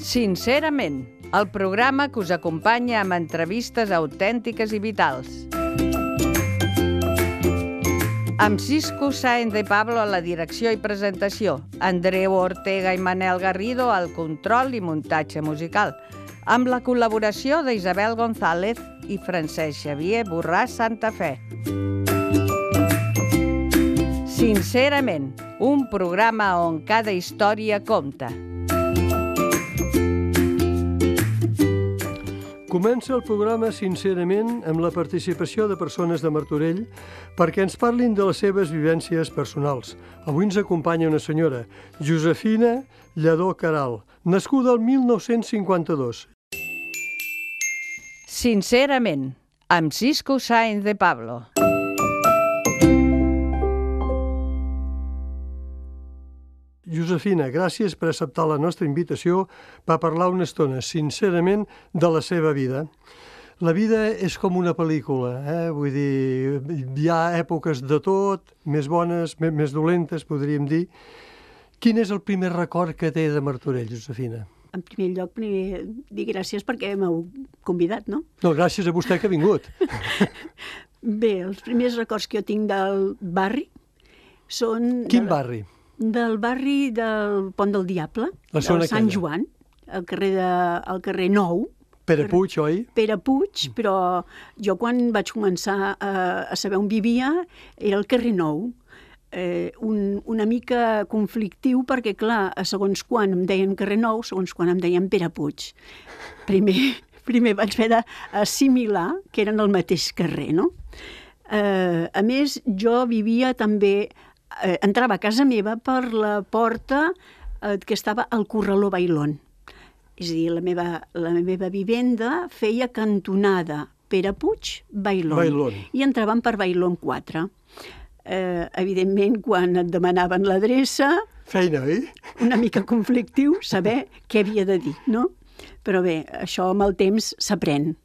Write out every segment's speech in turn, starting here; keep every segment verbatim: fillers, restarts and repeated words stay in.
Sincerament, el programa que us acompanya amb entrevistes autèntiques i vitals. Amb Cisco Sáenz de Pablo a la direcció i presentació, Andreu Ortega i Manel Garrido al control i muntatge musical, amb la col·laboració d'Isabel González i Francesc Xavier Borràs Santafé. Sincerament, un programa on cada història compta. Comença el programa Sincerament amb la participació de persones de Martorell perquè ens parlin de les seves vivències personals. Avui ens acompanya una senyora, Josefina Lladó Caral, nascuda el mil nou-cents cinquanta-dos. Sincerament, amb Cisco Sáenz de Pablo. Josefina, gràcies per acceptar la nostra invitació per parlar una estona, sincerament, de la seva vida. La vida és com una pel·lícula, eh? Vull dir, hi ha èpoques de tot, més bones, més dolentes, podríem dir. Quin és el primer record que té de Martorell, Josefina? En primer lloc, primer dir gràcies perquè m'heu convidat, no? No, gràcies a vostè que ha vingut. Bé, els primers records que jo tinc del barri són... Quin barri? Del barri del Pont del Diable, del Sant Joan, al carrer, de, al carrer Nou. Pere Puig, oi? Pere Puig, però jo quan vaig començar a, a saber on vivia era al carrer Nou. Eh, un, una mica conflictiu perquè, clar, a segons quan em deien carrer Nou, segons quan em deien Pere Puig. Primer, primer vaig haver d'assimilar que eren el mateix carrer, no? Eh, a més, jo vivia també... Eh, entrava a casa meva per la porta eh, que estava al Corraló Bailón. És a dir, la meva, la meva vivenda feia cantonada Pere Puig, Bailón. Bailón. I entràvem per Bailón quatre. Eh, evidentment, quan et demanaven l'adreça... Feina, oi? Una mica conflictiu saber què havia de dir, no? Però bé, això amb el temps s'aprèn.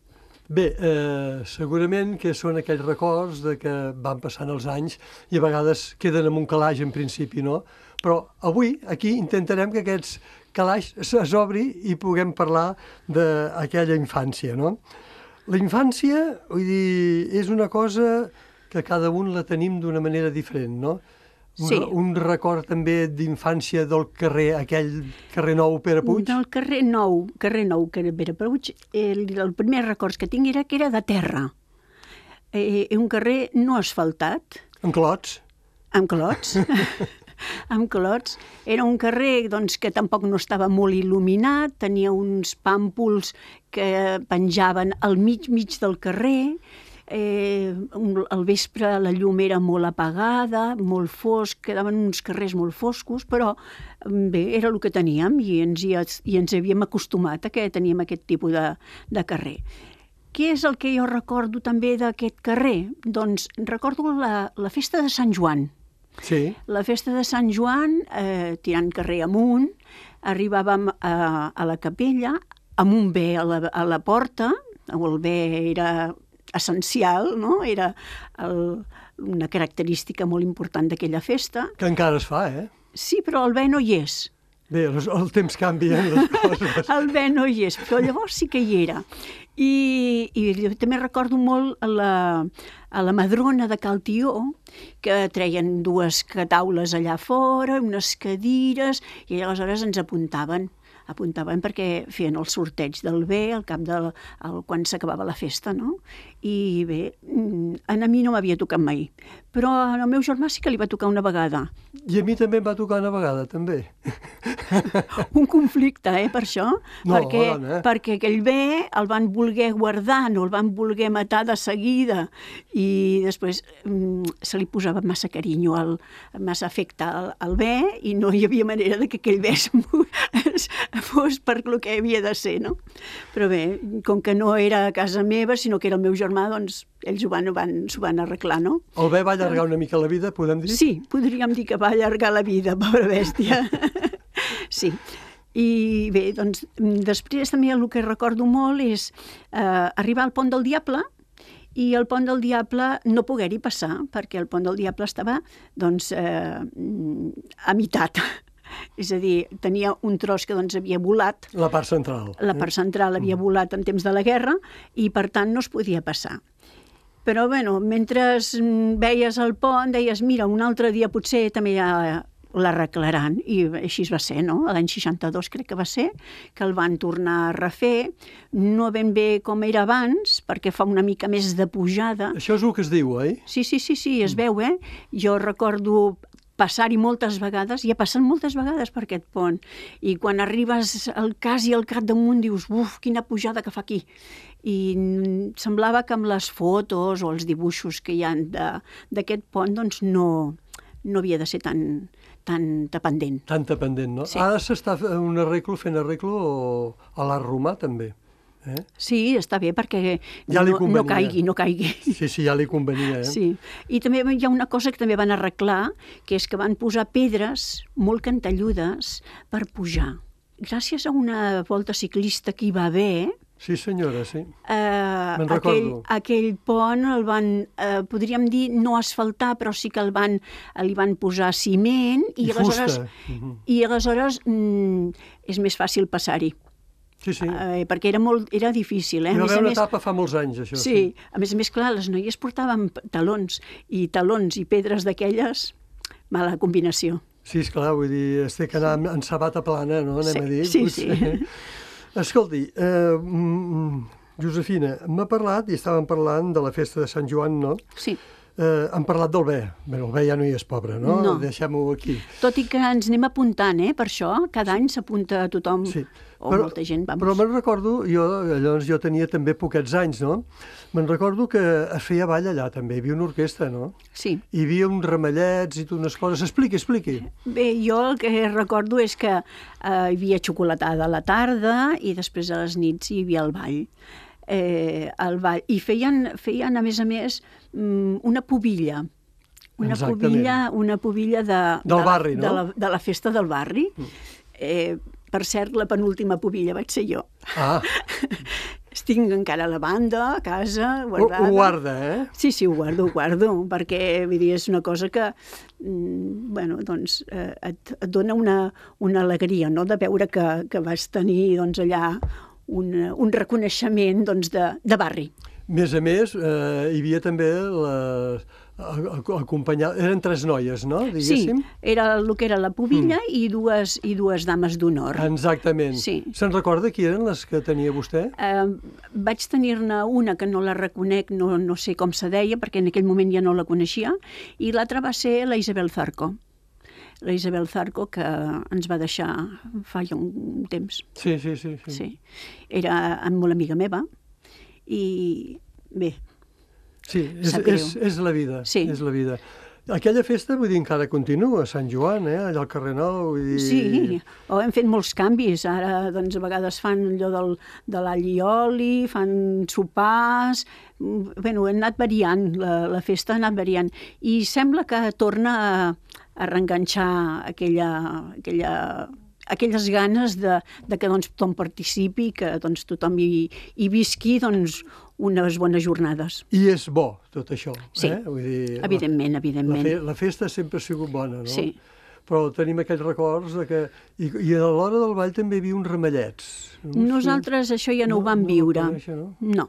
Bé, eh, segurament que són aquells records de que van passant els anys i a vegades queden en un calaix en principi, no? Però avui aquí intentarem que aquests calaix s'obri i puguem parlar d'aquella infància, no? La infància, vull dir, és una cosa que cada un la tenim d'una manera diferent, no? Un, sí. Un record també d'infància del carrer, aquell carrer Nou Pere Puig? Del carrer Nou, carrer Nou Pere Puig, el, el primer record que tinc era que era de terra. Eh, un carrer no asfaltat. Amb clots? Amb clots. amb clots. Era un carrer doncs, que tampoc no estava molt il·luminat, tenia uns pàmpols que penjaven al mig mig del carrer. Eh, al vespre la llum era molt apagada, molt fosc, quedaven uns carrers molt foscos, però bé, era el que teníem i ens, hi, i ens havíem acostumat a que teníem aquest tipus de, de carrer. Què és el que jo recordo també d'aquest carrer? Doncs recordo la, la festa de Sant Joan. Sí. La festa de Sant Joan, eh, tirant carrer amunt, arribàvem a, a la capella, amb un bé a la, a la porta, el bé era... essencial, no? Era el, una característica molt important d'aquella festa. Que encara es fa, eh? Sí, però el bé no hi és. Bé, el, el temps canvia les coses. El bé no hi és, però llavors sí que hi era. I, i també recordo molt a la, a la Madrona de Cal Tió, que treien dues taules allà fora, unes cadires, i aleshores ens apuntaven. apuntaven perquè feien el sorteig del bé al cap de el, quan s'acabava la festa, no? I bé, a mi no m'havia tocat mai, però al meu germà sí que li va tocar una vegada. I a mi també em va tocar una vegada, també. Un conflicte, eh, per això, no, perquè, dona, eh? perquè aquell bé el van voler guardar, no el van voler matar de seguida, i després mm, se li posava massa carinyo, al, massa afecte al, al bé, i no hi havia manera de que aquell bé es, fos per lo que havia de ser, no? Però bé, com que no era a casa meva, sinó que era el meu germà, doncs ells ho van, van, s'ho van arreglar, no? El bé va allargar una mica la vida, podem dir? Sí, podríem dir que va allargar la vida, pobra bèstia. Sí. I bé, doncs, després també el que recordo molt és eh, arribar al Pont del Diable i el Pont del Diable no poder-hi passar, perquè el Pont del Diable estava, doncs, eh, a meitat. és a dir, tenia un tros que doncs havia volat. La part central. La part central havia volat en temps de la guerra i, per tant, no es podia passar. Però, bueno, mentre veies el pont, deies, mira, un altre dia potser també ja l'arreglaran, i així va ser, no? L'any seixanta-dos crec que va ser, que el van tornar a refer, no ben bé com era abans, perquè fa una mica més de pujada. Això és el que es diu, oi? Sí, sí, sí, sí, es veu, eh? Jo recordo passar-hi moltes vegades, i he passat moltes vegades per aquest pont, i quan arribes al cas i al cap damunt dius, uf, quina pujada que fa aquí. I semblava que amb les fotos o els dibuixos que hi ha d'aquest pont, doncs no, no havia de ser tan, tan dependent. Tan dependent, no? Sí. Ara s'està un arreglo, fent arreglo a l'art romà, també. Eh? Sí, està bé, perquè ja no, no caigui, no caigui. Sí, sí, ja li convenia, eh? Sí. I també hi ha una cosa que també van arreglar, que és que van posar pedres molt cantelludes per pujar. Gràcies a una volta ciclista que hi va haver, sí, senyora, sí. Eh, Me'n aquell, recordo. aquell pont el van, eh, podríem dir, no asfaltar, però sí que el van, li van posar ciment i, I aleshores, fusta. Uh-huh. i aleshores mm, és més fàcil passar-hi. Sí, sí. Eh, perquè era, molt, era difícil. Eh? Hi va haver una més, etapa fa molts anys, això. Sí, sí, a més a més, clar, les noies portaven talons, i talons i pedres d'aquelles, mala combinació. Sí, esclar, vull dir, es té que anar en sabata plana, no? Anem sí, a dir. Sí, potser. sí. Escolti, eh, Josefina, m'ha parlat, i estàvem parlant de la festa de Sant Joan, no? Sí. Eh, han parlat del bé. Bé, el bé ja no hi és pobre, no? No. Deixem-ho aquí. Tot i que ens anem apuntant, eh, per això, cada any s'apunta a tothom, Sí. o Però, molta gent, vamos. però me'n recordo, jo, llavors jo tenia també poquets anys, no? Me'n recordo que es feia ball allà també, hi havia una orquestra, no? Sí. Hi havia uns ramallets i unes coses. Expliqui, expliqui. Bé, jo el que recordo és que eh, hi havia xocolatada a la tarda i després a les nits hi havia el ball. Eh, el ball. I feien, feien, a més a més, una pubilla. Una Exactament. pubilla, una pubilla de, Del de, barri, no? de, la, de la festa del barri. Eh, per cert, la penúltima pubilla vaig ser jo. Ah, Estic encara a la banda, a casa, ho, guardada. ho guarda, eh? Sí, sí, ho guardo, ho guardo, perquè vull dir, és una cosa que, mm, bueno, doncs, eh, et, et dona una, una alegria, no?, de veure que, que vas tenir, doncs, allà un, un reconeixement, doncs, de, de barri. A més a més, eh, hi havia també la, acompanyar... Eren tres noies, no? Diguéssim. Sí, era el que era la pubilla mm. i, dues, i dues dames d'honor. Exactament. Sí. Se'n recorda qui eren les que tenia vostè? Eh, vaig tenir-ne una que no la reconec, no, no sé com se deia, perquè en aquell moment ja no la coneixia, i l'altra va ser la Isabel Zarco. La Isabel Zarco, que ens va deixar fa ja un temps. Sí, sí, sí. sí. Sí. Era molt amiga meva, i bé, Sí, és, és, és la vida, sí. és la vida. Aquella festa, vull dir, encara continua, a Sant Joan, eh? Allà al carrer Nou. Vull dir... Sí, o hem fet molts canvis. Ara, doncs, a vegades fan allò del, de l'all i oli, fan sopars... Bueno, ha anat variant, la, la festa ha anat variant. I sembla que torna a, a reenganxar aquella... aquella aquelles ganes de, de que doncs, tothom participi, que doncs, tothom hi, hi visqui doncs, unes bones jornades. I és bo, tot això. Sí, eh? Vull dir, evidentment, evidentment. La, fe, la festa sempre ha sigut bona, no? Sí. Però tenim aquells records de que... I, i a l'hora del ball també hi havia uns ramallets. No? Nosaltres això ja no, no ho vam no, viure. No, conèixer, no? No.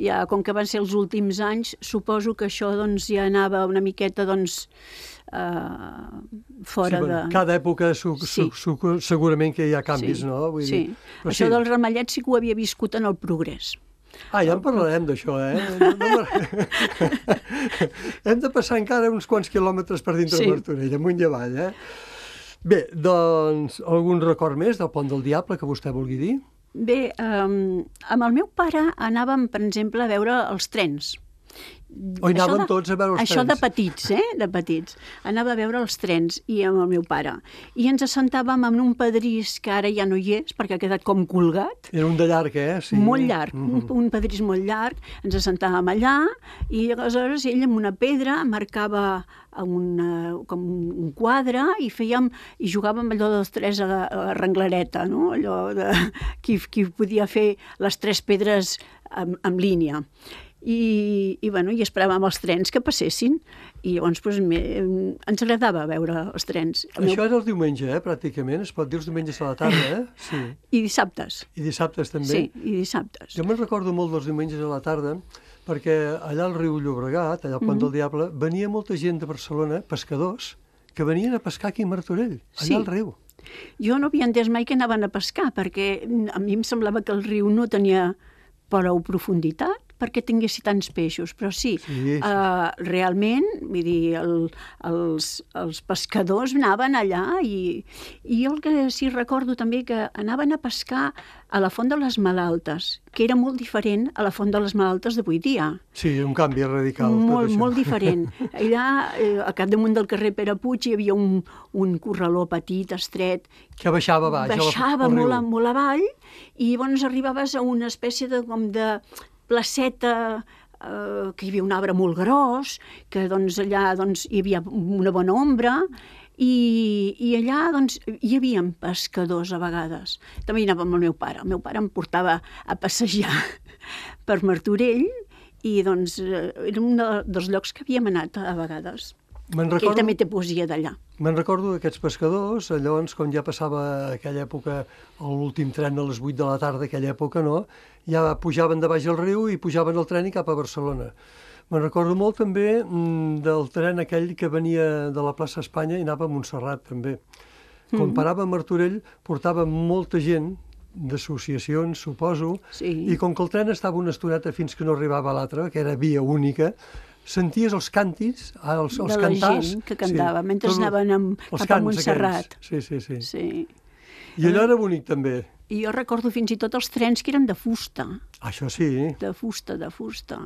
Ja, com que van ser els últims anys, suposo que això doncs, ja anava una miqueta doncs, uh, fora sí, bueno, de... Cada època su, Sí. su, su, segurament que hi ha canvis, Sí, no? Vull sí. dir, però Això sí. dels ramallets sí que ho havia viscut en el Progrés. Ah, ja en parlarem d'això, eh? No, no, hem de passar encara uns quants quilòmetres per dintre Sí. de Martorell, amunt i avall, eh? Bé, doncs, algun record més del Pont del Diable que vostè vulgui dir? Bé, um, amb el meu pare anàvem, per exemple, a veure els trens. O hi anàvem Això de- tots a veure els Això de trens? petits, eh? De petits. Anava a veure els trens i amb el meu pare. I ens assentàvem en un pedrís que ara ja no hi és, perquè ha quedat com colgat. Era un de llarg, eh? Sí. Molt llarg, Mhm. un, un pedrís molt llarg. Ens assentàvem allà i aleshores ell amb una pedra marcava una, com un quadre i fèiem i jugàvem allò dels tres a la, a la renglareta, no? Allò de qui, qui podia fer les tres pedres en, en línia. i, i, bueno, i esperàvem els trens que passessin, i llavors doncs, me, ens agradava veure els trens. El Això meu... era el diumenge, eh, pràcticament, es pot dir els diumenges a la tarda, eh? Sí. I dissabtes. I dissabtes també? Sí, i dissabtes. Jo me'n recordo molt dels diumenges a la tarda, perquè allà al riu Llobregat, allà al Pont mm-hmm. del Diable, venia molta gent de Barcelona, pescadors, que venien a pescar aquí a Martorell, allà sí. al riu. Jo no havia entès mai que anaven a pescar, perquè a mi em semblava que el riu no tenia prou profunditat perquè tinguessi tants peixos, però sí, sí, sí. Uh, realment, vull dir, el, els, els pescadors anaven allà i, i jo el que sí recordo també que anaven a pescar a la Font de les Malaltes, que era molt diferent a la Font de les Malaltes d'avui dia. Sí, un canvi radical. Molt, molt diferent. Allà, eh, a capdamunt del carrer Pere Puig, hi havia un, un corraló petit, estret, que baixava baix. Baixava molt, a, molt avall, i llavors arribaves a una espècie de, com de placeta, eh, que hi havia un arbre molt gros, que doncs, allà doncs, hi havia una bona ombra, i, i allà doncs, hi havia pescadors a vegades. També hi anava amb el meu pare. El meu pare em portava a passejar per Martorell i doncs, era un dels llocs que havíem anat a vegades. Recordo, que ell també té poesia d'allà. Me'n recordo d'aquests pescadors, llavors, quan ja passava aquella època, l'últim tren a les vuit de la tarda, aquella època, no? Ja pujaven de baix al riu i pujaven al tren i cap a Barcelona. Me'n recordo molt també del tren aquell que venia de la plaça Espanya i anava a Montserrat, també. Quan mm. parava a Martorell, portava molta gent d'associacions, suposo, sí. i com que el tren estava una estoneta fins que no arribava a l'altre, que era via única, senties els càntics, els, els de la cantars... gent que cantava, sí, mentre tot, anaven amb, cap a Montserrat. Sí, sí, sí, sí. I allò era bonic, també. I jo recordo fins i tot els trens que eren de fusta. Això sí. De fusta, de fusta.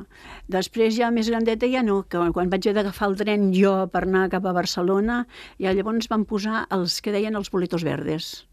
Després, ja més grandeta, ja no, que quan vaig haver d'agafar el tren jo per anar cap a Barcelona, ja llavors van posar els que deien els boletos verdes,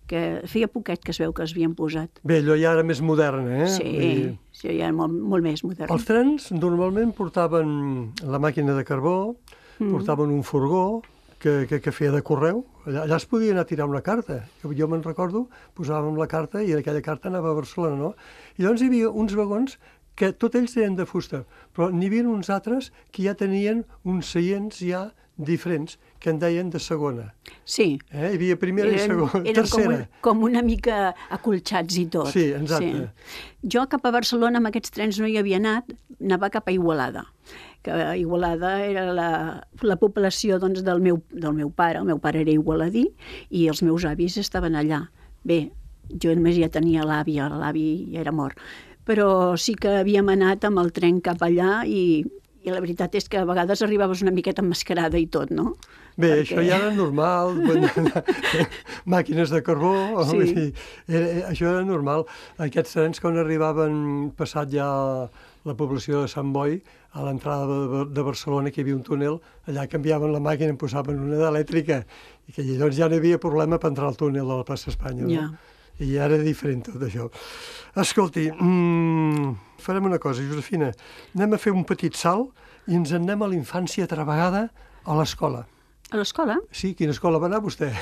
que feia poquet que es veu que es havien posat. Bé, allò ja era més modern, eh? Sí, I... sí, ja era molt, molt més modern. Els trens normalment portaven la màquina de carbó, mm. portaven un furgó que, que, que feia de correu. Allà, allà es podia anar a tirar una carta. Jo me'n recordo, posàvem la carta i aquella carta anava a Barcelona, no? I llavors hi havia uns vagons que tots ells eren de fusta, però n'hi havia uns altres que ja tenien uns seients ja diferents, que en deien de segona. Sí. Eh? Hi havia primera eren, i segona, eren tercera. Eren com, com una mica acolxats i tot. Sí, exacte. Sí. Jo cap a Barcelona amb aquests trens no hi havia anat, anava cap a Igualada, que Igualada era la, la població doncs, del, meu, del meu pare. El meu pare era igualadí i els meus avis estaven allà. Bé, jo només ja tenia l'àvia, l'avi ja era mort, però sí que havíem anat amb el tren cap allà i, i la veritat és que a vegades arribaves una miqueta emmascarada i tot, no? Bé, Perquè... això ja era normal, màquines de carbó, sí. Vull dir, era, això era normal. Aquests trens, quan arribaven passat ja la població de Sant Boi, a l'entrada de, de Barcelona, que hi havia un túnel, allà canviaven la màquina i en posaven una d'elèctrica, i que llavors ja no hi havia problema per entrar al túnel de la plaça Espanya. Ja. No? I ja era diferent tot això. Escolti, mmm, farem una cosa, Josefina, anem a fer un petit salt i ens en anem a la infància altra vegada a l'escola. A l'escola? Sí, quina escola va anar vostè?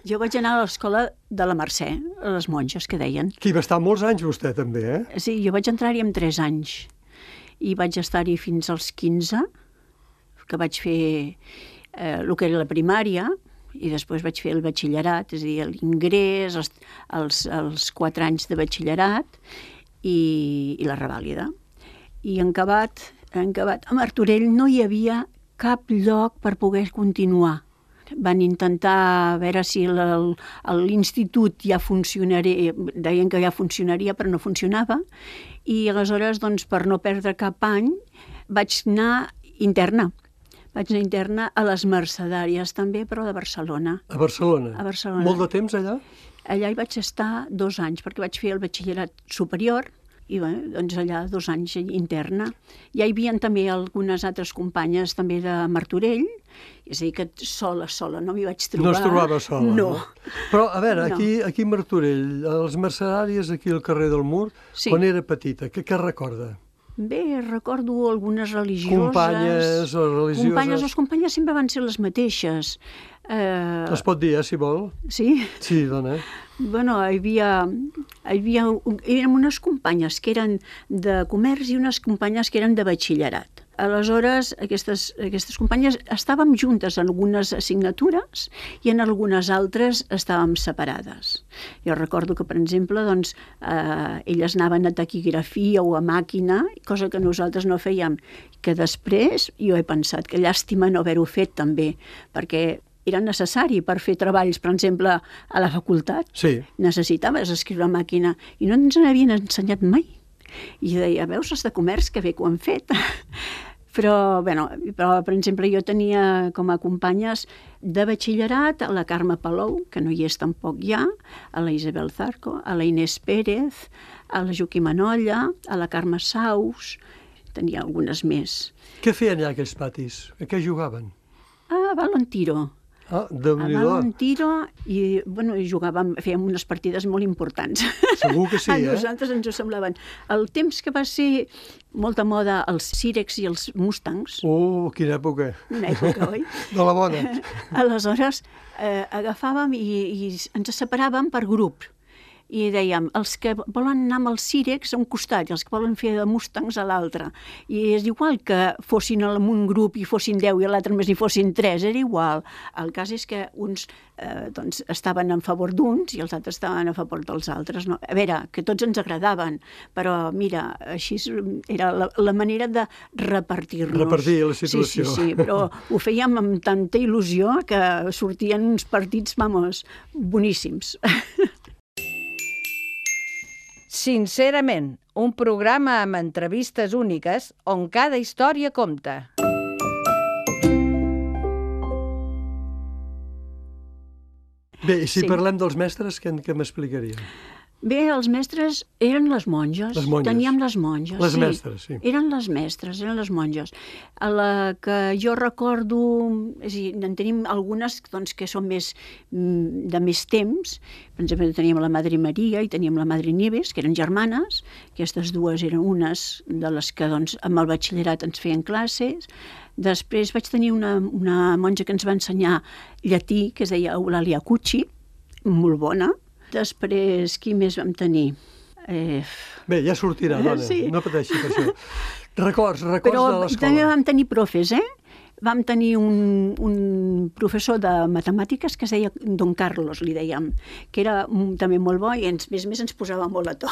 Jo vaig anar a l'escola de la Mercè, a les monges, que deien. Que hi va estar molts anys vostè, també, eh? Sí, jo vaig entrar-hi amb tres anys i vaig estar-hi fins als quinze, que vaig fer eh, el que era la primària, i després vaig fer el batxillerat, és a dir, l'ingrés, els, els, els quatre anys de batxillerat i, i la revàlida. I en acabat, en acabat, a Martorell no hi havia cap lloc per poder continuar. Van intentar veure si l'institut ja funcionaria, deien que ja funcionaria, però no funcionava, i aleshores, doncs, per no perdre cap any, vaig anar interna. Vaig anar interna a les Mercedàries, també, però de Barcelona. A Barcelona? A Barcelona. Molt de temps allà? Allà hi vaig estar dos anys, perquè vaig fer el batxillerat superior, i bé, doncs allà dos anys interna. Ja hi havia també algunes altres companyes també de Martorell, és a dir, que sola, sola, no m'hi vaig trobar. No es trobava sola? No. no. Però, a veure, no. aquí, aquí a Martorell, a les Mercedàries, aquí al carrer del Mur, sí. Quan era petita, què, què recorda? Bé, recordo algunes religioses. Companyes o religioses? Companyes, les companyes sempre van ser les mateixes. Eh, Es pot dir, eh, si vol. sí? Sí, dona. Bueno, hi havia, hi havia, eren unes companyes que eren de comerç i unes companyes que eren de batxillerat. Aleshores, aquestes, aquestes companyes estàvem juntes en algunes assignatures i en algunes altres estàvem separades. Jo recordo que, per exemple, doncs, eh, elles anaven a taquigrafia o a màquina, cosa que nosaltres no fèiem, que després jo he pensat que llàstima no haver-ho fet també, perquè era necessari per fer treballs, per exemple, a la facultat. Sí. Necessitaves escriure a màquina i no ens n'havien ensenyat mai. I deia, veus, els de comerç, que bé que ho han fet. Però, bueno, però, per exemple, jo tenia com a companyes de batxillerat a la Carme Palou, que no hi és tampoc ja, a la Isabel Zarco, a la Inés Pérez, a la Joaquima Nolla, a la Carme Saus, tenia algunes més. Què feien allà aquells patis? A què jugaven? A Balon Tiro. Ah, A Déu-n'hi-do. Balon Tiro i, bueno, i jugàvem, fèiem unes partides molt importants. Segur que sí, A eh? nosaltres ens ho semblaven. El temps que va ser molta moda els Cirex i els Mustangs, Uh, quina època. una època, oi? De la bona. Aleshores, eh, agafàvem i, i ens separàvem per grup. I dèiem, els que volen anar amb els Cirex a un costat i els que volen fer de Mustangs a l'altre. I és igual que fossin en un grup i fossin deu i a l'altre més hi fossin tres, era igual. El cas és que uns eh, doncs, estaven en favor d'uns i els altres estaven a favor dels altres. No? A veure, que tots ens agradaven, però mira, així era la, la manera de repartir-nos. Repartir la situació. Sí, sí, sí, però ho fèiem amb tanta il·lusió que sortien uns partits, vamos, boníssims. Sincerament, un programa amb entrevistes úniques on cada història compta. Bé, i si Sí. parlem dels mestres, què, què m'explicarien? Bé, els mestres eren les monges. Les monges. Teníem les monges, Les sí. mestres, sí. Eren les mestres, eren les monges. A la que jo recordo, és a dir, en tenim algunes doncs, que són més mm, de més temps. Per exemple, teníem la Madre Maria i teníem la Madre Nieves, que eren germanes. Aquestes dues eren unes de les que doncs, amb el batxillerat ens feien classes. Després vaig tenir una, una monja que ens va ensenyar llatí, que es deia Eulàlia Cucci, molt bona. Després, qui més vam tenir? Eh... Bé, ja sortirà, dona, Sí. no pateixi per això. Records, records Però de l'escola. també vam tenir profes, eh? Vam tenir un, un professor de matemàtiques que es deia Don Carlos, li dèiem, que era mm, també molt bo i ens, més més ens posava molt a to.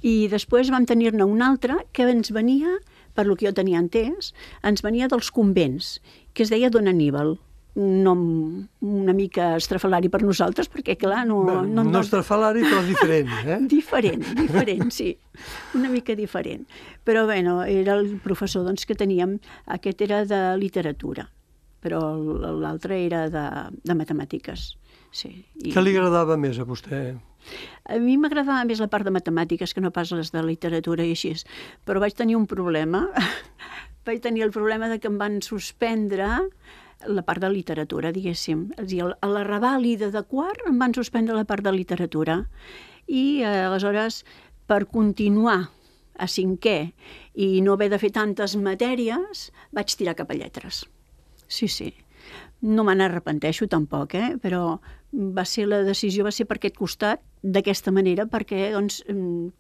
I després vam tenir-ne un altre que ens venia, per lo que jo tenia entès, ens venia dels convents, que es deia Don Aníbal. Un nom una mica estrafalari per nosaltres, perquè, clar, no... Bé, no, no estrafalari, però diferent, eh? Diferent, diferent, sí. Una mica diferent. Però, bueno, era el professor doncs, que teníem. Aquest era de literatura, però l'altre era de, de matemàtiques. Sí. I Què li agradava més a vostè? a mi m'agradava més la part de matemàtiques que no pas les de literatura i així. Però vaig tenir un problema. Vaig tenir el problema de que em van suspendre la part de literatura, diguéssim. És a dir, a la revàlida de quart em van suspendre la part de literatura. I eh, aleshores, per continuar a cinquè i no haver de fer tantes matèries, vaig tirar cap a lletres. Sí, sí. No me n'arrepenteixo tampoc, eh? Però va ser la decisió va ser per aquest costat, d'aquesta manera, perquè doncs,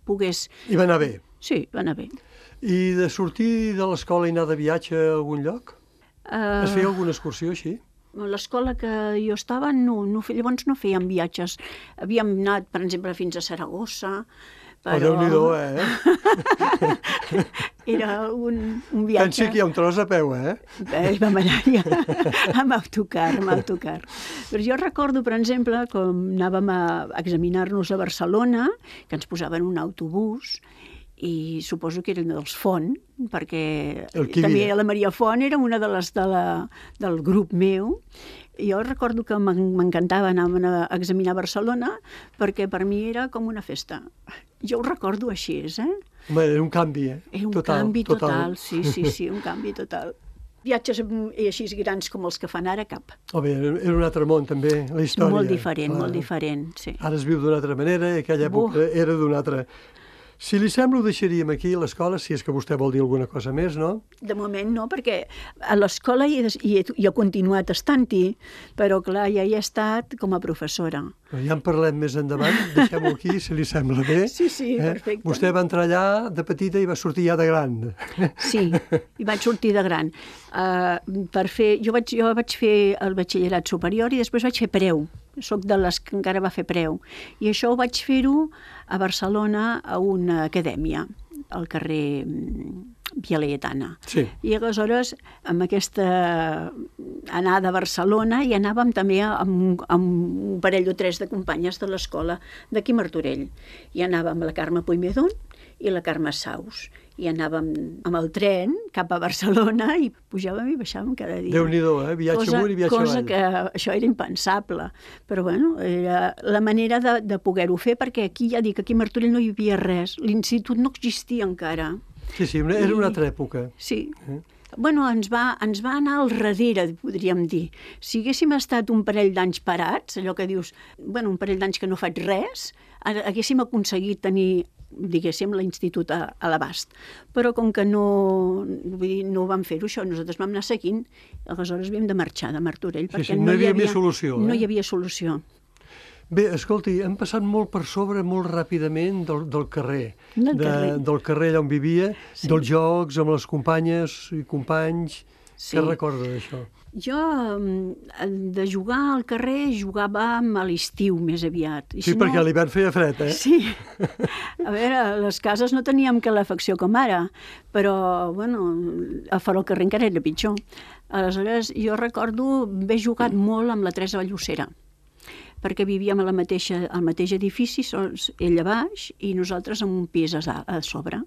pogués... I va anar bé. Sí, va anar bé. I de sortir de l'escola i anar de viatge a algun lloc? Uh... Es feia alguna excursió així? A l'escola que jo estava, no, no, llavors no fèiem viatges. Havíem anat, per exemple, fins a Saragossa, però... Oh, Déu-n'hi-do, eh? Era un, un viatge... Pensi que hi ha un tros a peu, eh? Bé, vam anar ja amb autocar, amb autocar. Però jo recordo, per exemple, com anàvem a examinar-nos a Barcelona, que ens posaven un autobús, i suposo que eren dels Font, perquè també la Maria Font era una de les de la, del grup meu. Jo recordo que m'encantava anar a examinar Barcelona perquè per mi era com una festa. Jo ho recordo així, eh? Home, era un canvi, eh? Era un total, canvi total, total, sí, sí, sí, un canvi total. Viatges així grans com els que fan ara, cap. Oh, bé, era un altre món, també, la història. Molt diferent, ah, molt diferent, sí. Ara es viu d'una altra manera i aquella època uh. era d'una altra... Si li sembla, ho deixaríem aquí a l'escola, si és que vostè vol dir alguna cosa més, no? De moment no, perquè a l'escola hi he, hi he, hi he continuat estant-hi, però clar, ja hi he estat com a professora. Ja en parlem més endavant, deixem-ho aquí, si li sembla bé. Sí, sí, eh? perfecte. Vostè va entrar allà de petita i va sortir ja de gran. Sí, i vaig sortir de gran. Uh, per fer, jo, vaig, jo vaig fer el batxillerat superior i després vaig fer preu. Soc de les que encara va fer preu. I això ho vaig fer-ho a Barcelona a una acadèmia, al carrer Via Laietana. Sí. I aleshores, amb aquesta anada a Barcelona, hi anàvem també amb, amb un parell o tres de companyes de l'escola d'aquí Martorell. I anàvem la Carme Puigmedón i la Carme Saus. I anàvem amb el tren cap a Barcelona i pujàvem i baixàvem cada dia. Déu-n'hi-do, eh? Viatge cosa, amunt i viatge cosa avall. que això era impensable. Però bueno, era la manera de, de poder-ho fer, perquè aquí, ja dic, aquí a Martorell no hi havia res. L'institut no existia encara. Sí, sí, una, era una I- altra època. Sí. Eh? Bueno, ens va, ens va anar al darrere, podríem dir. Si haguéssim estat un parell d'anys parats, allò que dius, bueno, un parell d'anys que no faig res, ha- haguéssim aconseguit tenir, diguéssim, l'institut a, a l'abast. Però com que no, vull dir, no vam fer-ho això, nosaltres vam anar seguint, aleshores havíem de marxar de Martorell, Sí, perquè sí, no hi havia més solució, No eh? hi havia solució. Bé, escolti, hem passat molt per sobre, molt ràpidament, del, del carrer. Del de, carrer. Del carrer allà on vivia, Sí. dels jocs, amb les companyes i companys. Sí. Què recorda d'això? Jo, mm, de jugar al carrer, jugàvem a l'estiu més aviat. I Sí, si perquè no- a l'hivern feia fred, eh? Sí. A veure, a les cases no teníem calefacció com ara, però, bueno, a fora al carrer encara era pitjor. Aleshores, jo recordo haver jugat molt amb la Teresa Vallossera, perquè vivíem a la mateixa, al mateix edifici, sols ella a baix i nosaltres en un pis a, a sobre.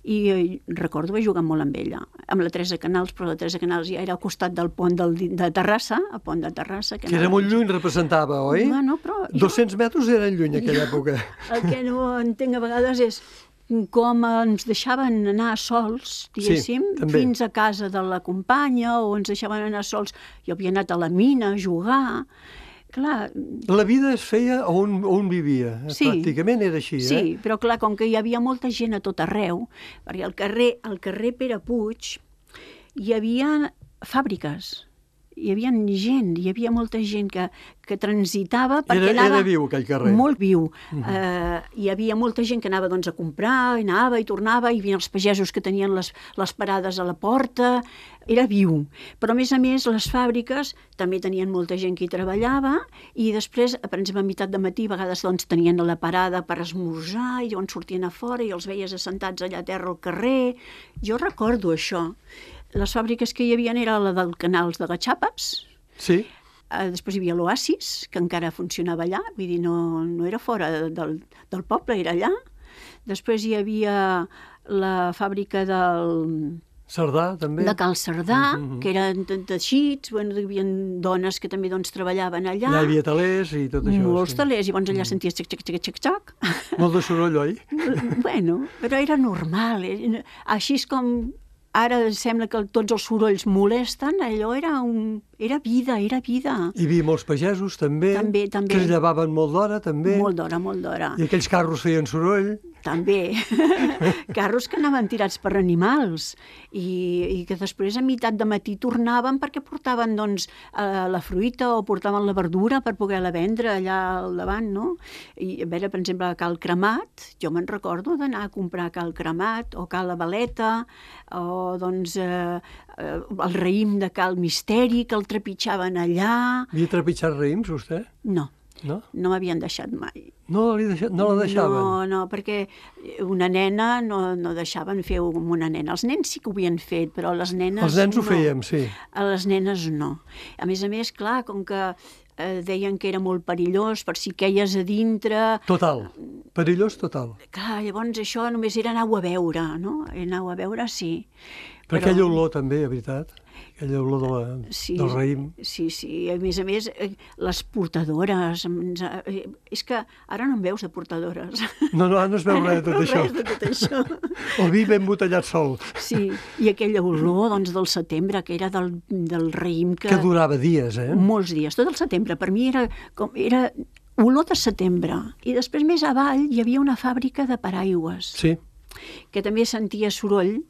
I eh, recordo haver jugat molt amb ella, amb la Teresa Canals, però la Teresa Canals ja era al costat del pont del, de Terrassa, a pont de Terrassa. Que era anava- molt lluny, representava, oi? Bueno, però jo- dos-cents metres eren lluny, aquella època. El que no entenc a vegades és com ens deixaven anar sols, diguéssim, Sí, també. fins a casa de la companya, o ens deixaven anar sols. Jo havia anat a la mina a jugar. Clar, La vida es feia on, on vivia. eh? Sí. Pràcticament era així, sí, eh? però clar, com que hi havia molta gent a tot arreu, perquè al carrer, al carrer Pere Puig hi havia fàbriques, hi havia gent, hi havia molta gent que, que transitava perquè Era- anava... era viu, aquell carrer. Molt viu. Uh -huh. uh, hi havia molta gent que anava doncs, a comprar, i anava i tornava, i hi havia els pagesos que tenien les, les parades a la porta, era viu. Però a més a més les fàbriques també tenien molta gent que hi treballava, i després, per exemple, a meitat de matí, a vegades doncs, tenien la parada per esmorzar, i llavors sortien a fora i els veies assentats allà a terra al carrer. Jo recordo això. Les fàbriques que hi havia era la del Canals de Gatxapes, Sí. eh, després hi havia l'Oasis, que encara funcionava allà, vull dir, no, no era fora de- del, del poble, era allà. Després hi havia la fàbrica del, Cerdà, també. de Cal Cerdà, Mhm. que eren de teixits, bueno, hi havia dones que també doncs, treballaven allà. Allà hi havia talers i tot això. Molts sí. talers, i llavors allà senties xac, xac, xac, xac, xac. Molt de soroll, oi? Bueno, però era normal. eh, Així és com ara sembla que tots els sorolls molesten, allò era, un, era vida, era vida. Hi havia molts pagesos, també, També, també. que es llevaven molt d'hora, també. Molt d'hora, molt d'hora. I aquells carros feien soroll. També. Carros que anaven tirats per animals i, i que després a meitat de matí tornaven perquè portaven doncs, eh, la fruita o portaven la verdura per poder-la vendre allà al davant, no? I a veure, per exemple, a Cal Cremat, jo me'n recordo d'anar a comprar a Cal Cremat o Cal La Valeta o doncs eh, eh, el raïm de Cal Misteri que el trepitjaven allà. Havia trepitjat raïms, vostè? No, No? no m'havien deixat mai. No, li deixa... no la deixaven? No, no, perquè una nena no, no deixaven fer amb una nena. Els nens sí que ho havien fet, però les nenes Els nens no. ho fèiem, sí. A les nenes no. A més a més, clar, com que eh, deien que era molt perillós per si queies a dintre... Total. Perillós total. Clar, llavors això només era anar-ho a veure, no? Anar-ho a veure, sí. Per aquella olor també, a veritat. Aquella olor de la, Sí, del raïm. sí, sí. A més a més, eh, les portadores... ens- eh, És que ara no en veus de portadores. No, no, no es veu res de tot No, això. res de tot això. El vi ben botellat sol, Sí, i aquella olor doncs, del setembre, que era del, del raïm que... que durava dies, eh? Molts dies, tot el setembre. Per mi era, com, era olor de setembre. I després més avall hi havia una fàbrica de paraigües, Sí. que també sentia soroll,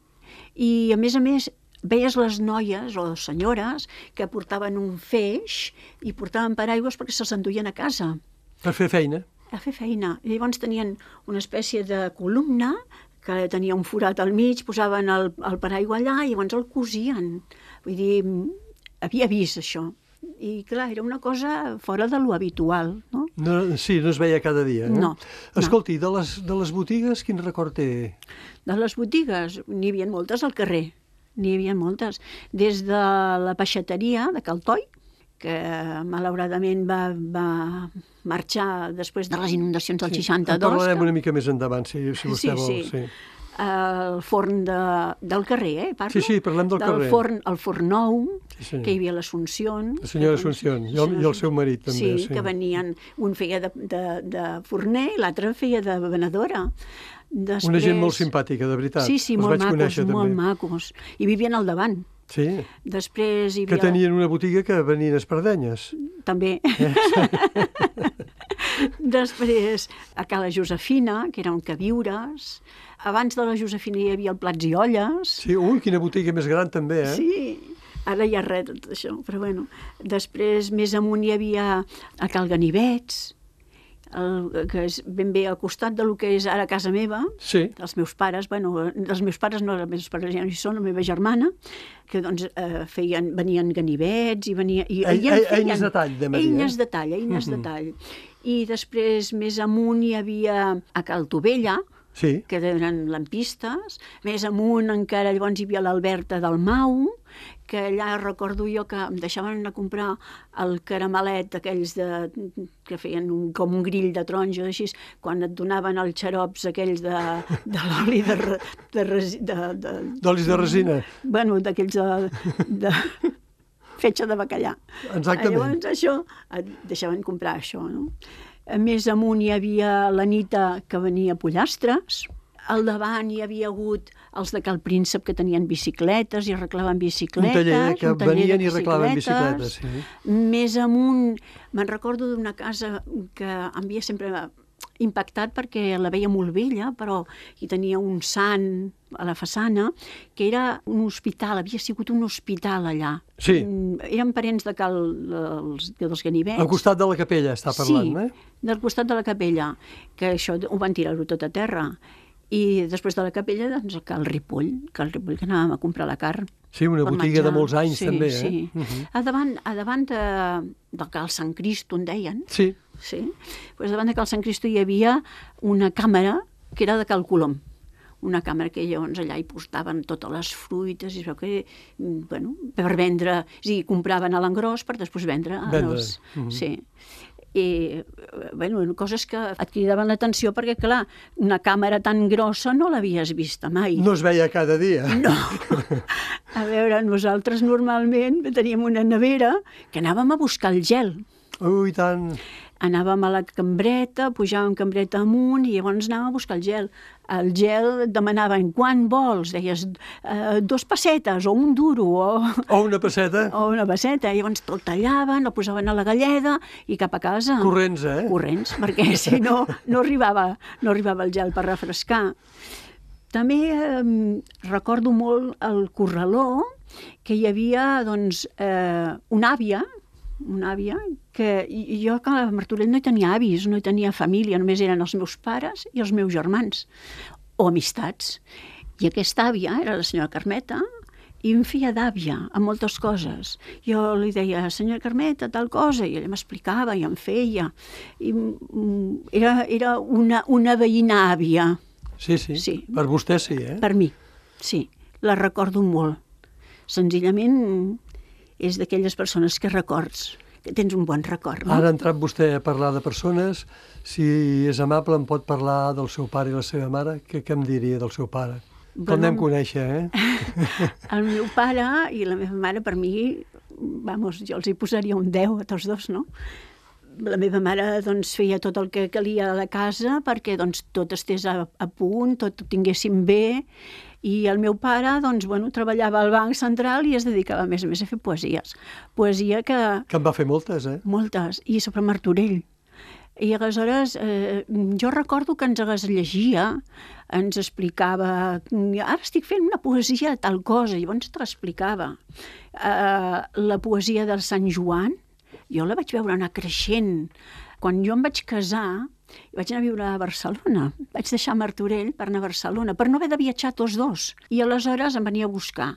i a més a més veies les noies o senyores que portaven un feix i portaven paraigües perquè se'ls enduien a casa Per fer feina. a fer feina. I llavors tenien una espècie de columna que tenia un forat al mig, posaven el, el paraigua allà i llavors el cosien. Vull dir, havia vist això. I clar, era una cosa fora de lo habitual, no? No, sí, no es veia cada dia. Eh? No, Escolti, de les, de les botigues, quin record té? De les botigues, n'hi havia moltes al carrer, n'hi havia moltes. Des de la peixateria de Caltoi, que malauradament va, va marxar després de les inundacions del Sí, seixanta-dos. en parlarem que... una mica més endavant, si, si vostè Sí, vol. sí. Sí. El forn de, del carrer, eh, parlo? Sí, sí, parlem del carrer. Forn, el forn nou, Sí, senyor. que hi havia l'Assumpción. La senyora Assumpción, i el, i el seu marit també. Sí, Sí, que venien, un feia de, de, de forner i l'altre feia de venedora. Després... Una gent molt simpàtica, de veritat. Sí, sí, Els molt vaig macos, conèixer, molt també. macos. I vivien al davant. Sí, Després hi havia... que tenien una botiga que venien espardenyes. També. Després, a Cala Josefina, que era un queviures. Abans de la Josefina hi havia el Plats i Olles. Sí, ui, quina botiga més gran també, eh? Sí, ara hi ha res de tot això, però bueno. Després, més amunt hi havia a Cal Ganivets, el, que és ben bé al costat del que és ara casa meva, Sí. dels meus pares, bueno, dels meus pares no, els meus pares ja no hi són, la meva germana, que doncs eh, feien, venien ganivets i venia... I, Ei- i en ei- feien eines de tall, de Maria. Eines de tall, eines de tall. I després, més amunt, hi havia a Cal Tovella, Sí. que eren lampistes. Més amunt encara llavors hi havia l'Alberta del Mau, que allà recordo jo que em deixaven anar a comprar el caramelet aquells de, que feien un, com un grill de taronja, així, quan et donaven els xarops aquells de, de l'oli de, re- de, resi- de, de, D'olis de resina. bueno, d'aquells de, de fetge de bacallà. Exactament. Llavors això, et deixaven comprar això, no? A més amunt hi havia l'Anita que venia a pollastres, al davant hi havia hagut els de Cal Príncep que tenien bicicletes i arreglaven Un bicicletes. taller que un taller de venien i arreglaven bicicletes. Sí. Més amunt, me'n recordo d'una casa que em havia sempre impactat perquè la veia molt vella, però hi tenia un sant a la façana, que era un hospital, havia sigut un hospital allà. Sí. Mm, Eren parents de Cal, dels, dels Ganivets. Al costat de la capella està parlant, sí, eh? del costat de la capella, que això ho van tirar-ho tot a terra. I després de la capella, doncs, a Cal Ripoll, Cal Ripoll, que anàvem a comprar la carn. Sí, una per botiga de menjar. molts anys, sí, també, eh? Sí, Mhm. a davant, a davant de, del Cal Sant Cristo, en deien, Sí. sí? Pues davant de Cal Sant Cristo hi havia una càmera que era de Cal Colom, una càmera que llavors allà hi postaven totes les fruites i es veu que, mm, bueno, per vendre, és a dir, compraven a l'engròs per després vendre. Vendre, Els, mhm. Sí. I, bueno, coses que et cridaven l'atenció perquè, clar, una càmera tan grossa no l'havies vista mai. No es veia cada dia. No. A veure, nosaltres normalment teníem una nevera que anàvem a buscar el gel. Ui, tant. Anàvem a la cambreta, pujàvem cambreta amunt i llavors anàvem a buscar el gel. El gel et demanaven quan vols, deies eh, dos pessetes o un duro o, O una passeta. o una passeta. I llavors te'l tallaven, el posaven a la galleda i cap a casa. Corrents, eh? Corrents, perquè si no, no arribava, no arribava el gel per refrescar. També eh, recordo molt el corraló, que hi havia doncs, eh, una àvia, una àvia, que i- jo que a Martorell no hi tenia avis, no hi tenia família, només eren els meus pares i els meus germans, o amistats. I aquesta àvia era la senyora Carmeta, i em feia d'àvia en moltes coses. Jo li deia, senyora Carmeta, tal cosa, i ella m'explicava i em feia. I, mm, era era una, una veïna àvia, Sí, sí, Sí. Per vostè sí, eh? per mi, sí, la recordo molt. Senzillament és d'aquelles persones que records, que tens un bon record, no? Ara ha entrat vostè a parlar de persones. Si és amable, em pot parlar del seu pare i la seva mare? Què, què em diria del seu pare? Bueno, Com anem a conèixer, eh? El meu pare i la meva mare, per mi, vamos, jo els hi posaria un deu a tots dos, no? La meva mare doncs, feia tot el que calia a la casa perquè doncs, tot estés a, a punt, tot ho tinguéssim bé, i el meu pare doncs, bueno, treballava al Banc Central i es dedicava més a més a fer poesies. Poesia que... Que en va fer moltes, eh? Moltes, i sobre Martorell. I aleshores eh, jo recordo que ens les llegia, ens explicava, ara estic fent una poesia de tal cosa, i llavors te l'explicava. Eh, la poesia del Sant Joan, jo la vaig veure anar creixent. Quan jo em vaig casar, vaig anar a viure a Barcelona. Vaig deixar Martorell per anar a Barcelona, per no haver de viatjar tots dos. I aleshores em venia a buscar.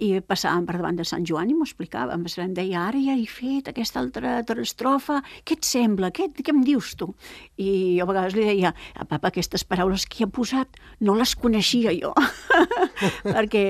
I passàvem per davant de Sant Joan i m'ho explicava. Em deia, ara ja he fet aquesta altra estrofa, què et sembla? Què, què em dius tu? I jo a vegades li deia, papa, aquestes paraules que hi ha posat no les coneixia jo. Perquè,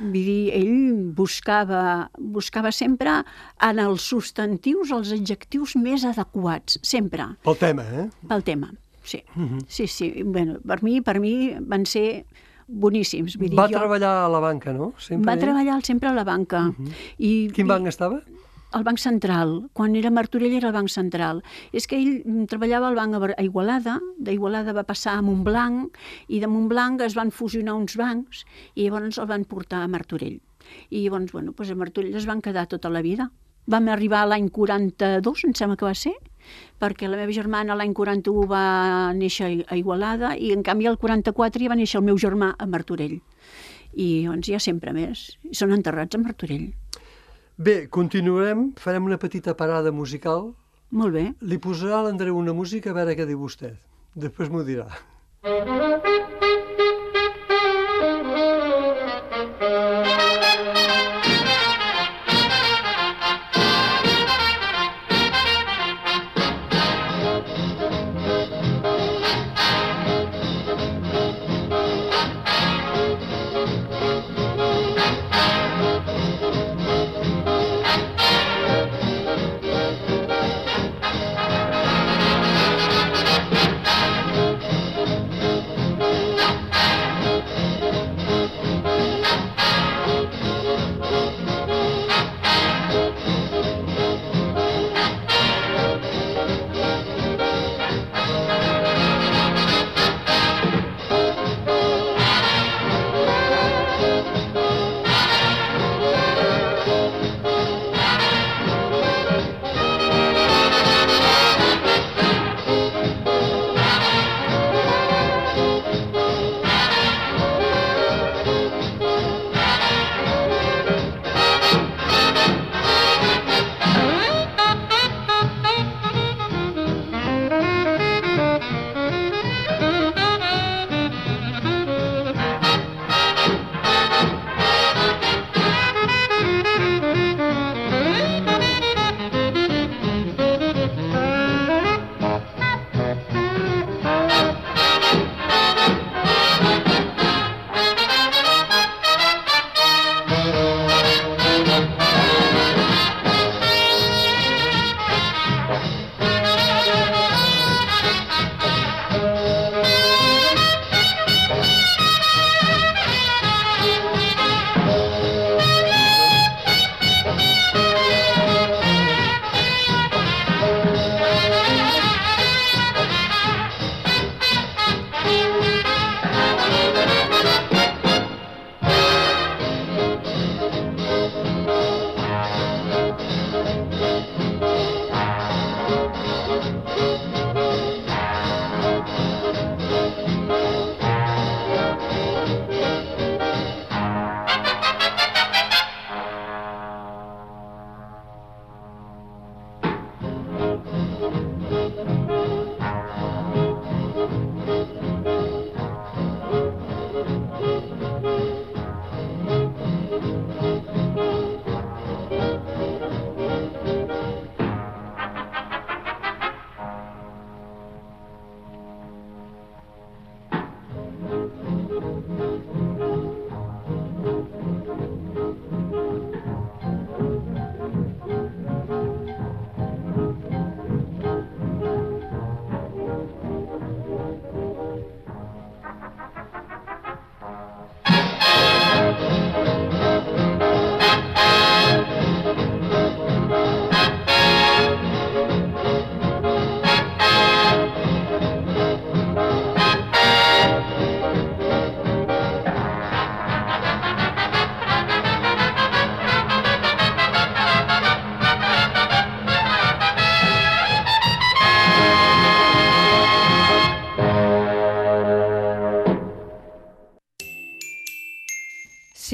vull dir, ell buscava, buscava sempre en els substantius els adjectius més adequats, sempre. Pel tema, eh? Pel tema, sí. Uh-huh. Sí, sí. Bueno, per mi, per mi van ser boníssims. Vull dir, va jo... treballar a la banca, no? Sempre va ell? treballar sempre a la banca. Uh-huh. I, Quin i... banc estava? Al Banc Central. Quan era a Martorell era el Banc Central. És que ell treballava al banc a Igualada, d'Igualada va passar a Montblanc, i de Montblanc es van fusionar uns bancs, i llavors el van portar a Martorell. I llavors, bueno, doncs a Martorell es van quedar tota la vida. Vam arribar l'any quaranta-dos, em sembla que va ser, perquè la meva germana l'any quaranta-u va néixer a Igualada i en canvi el quaranta-quatre ja va néixer el meu germà a Martorell. I doncs ja sempre més. I són enterrats a Martorell. Bé, continuarem, farem una petita parada musical. Molt bé. Li posarà a l'Andreu una música a veure què diu vostè. Després m'ho dirà.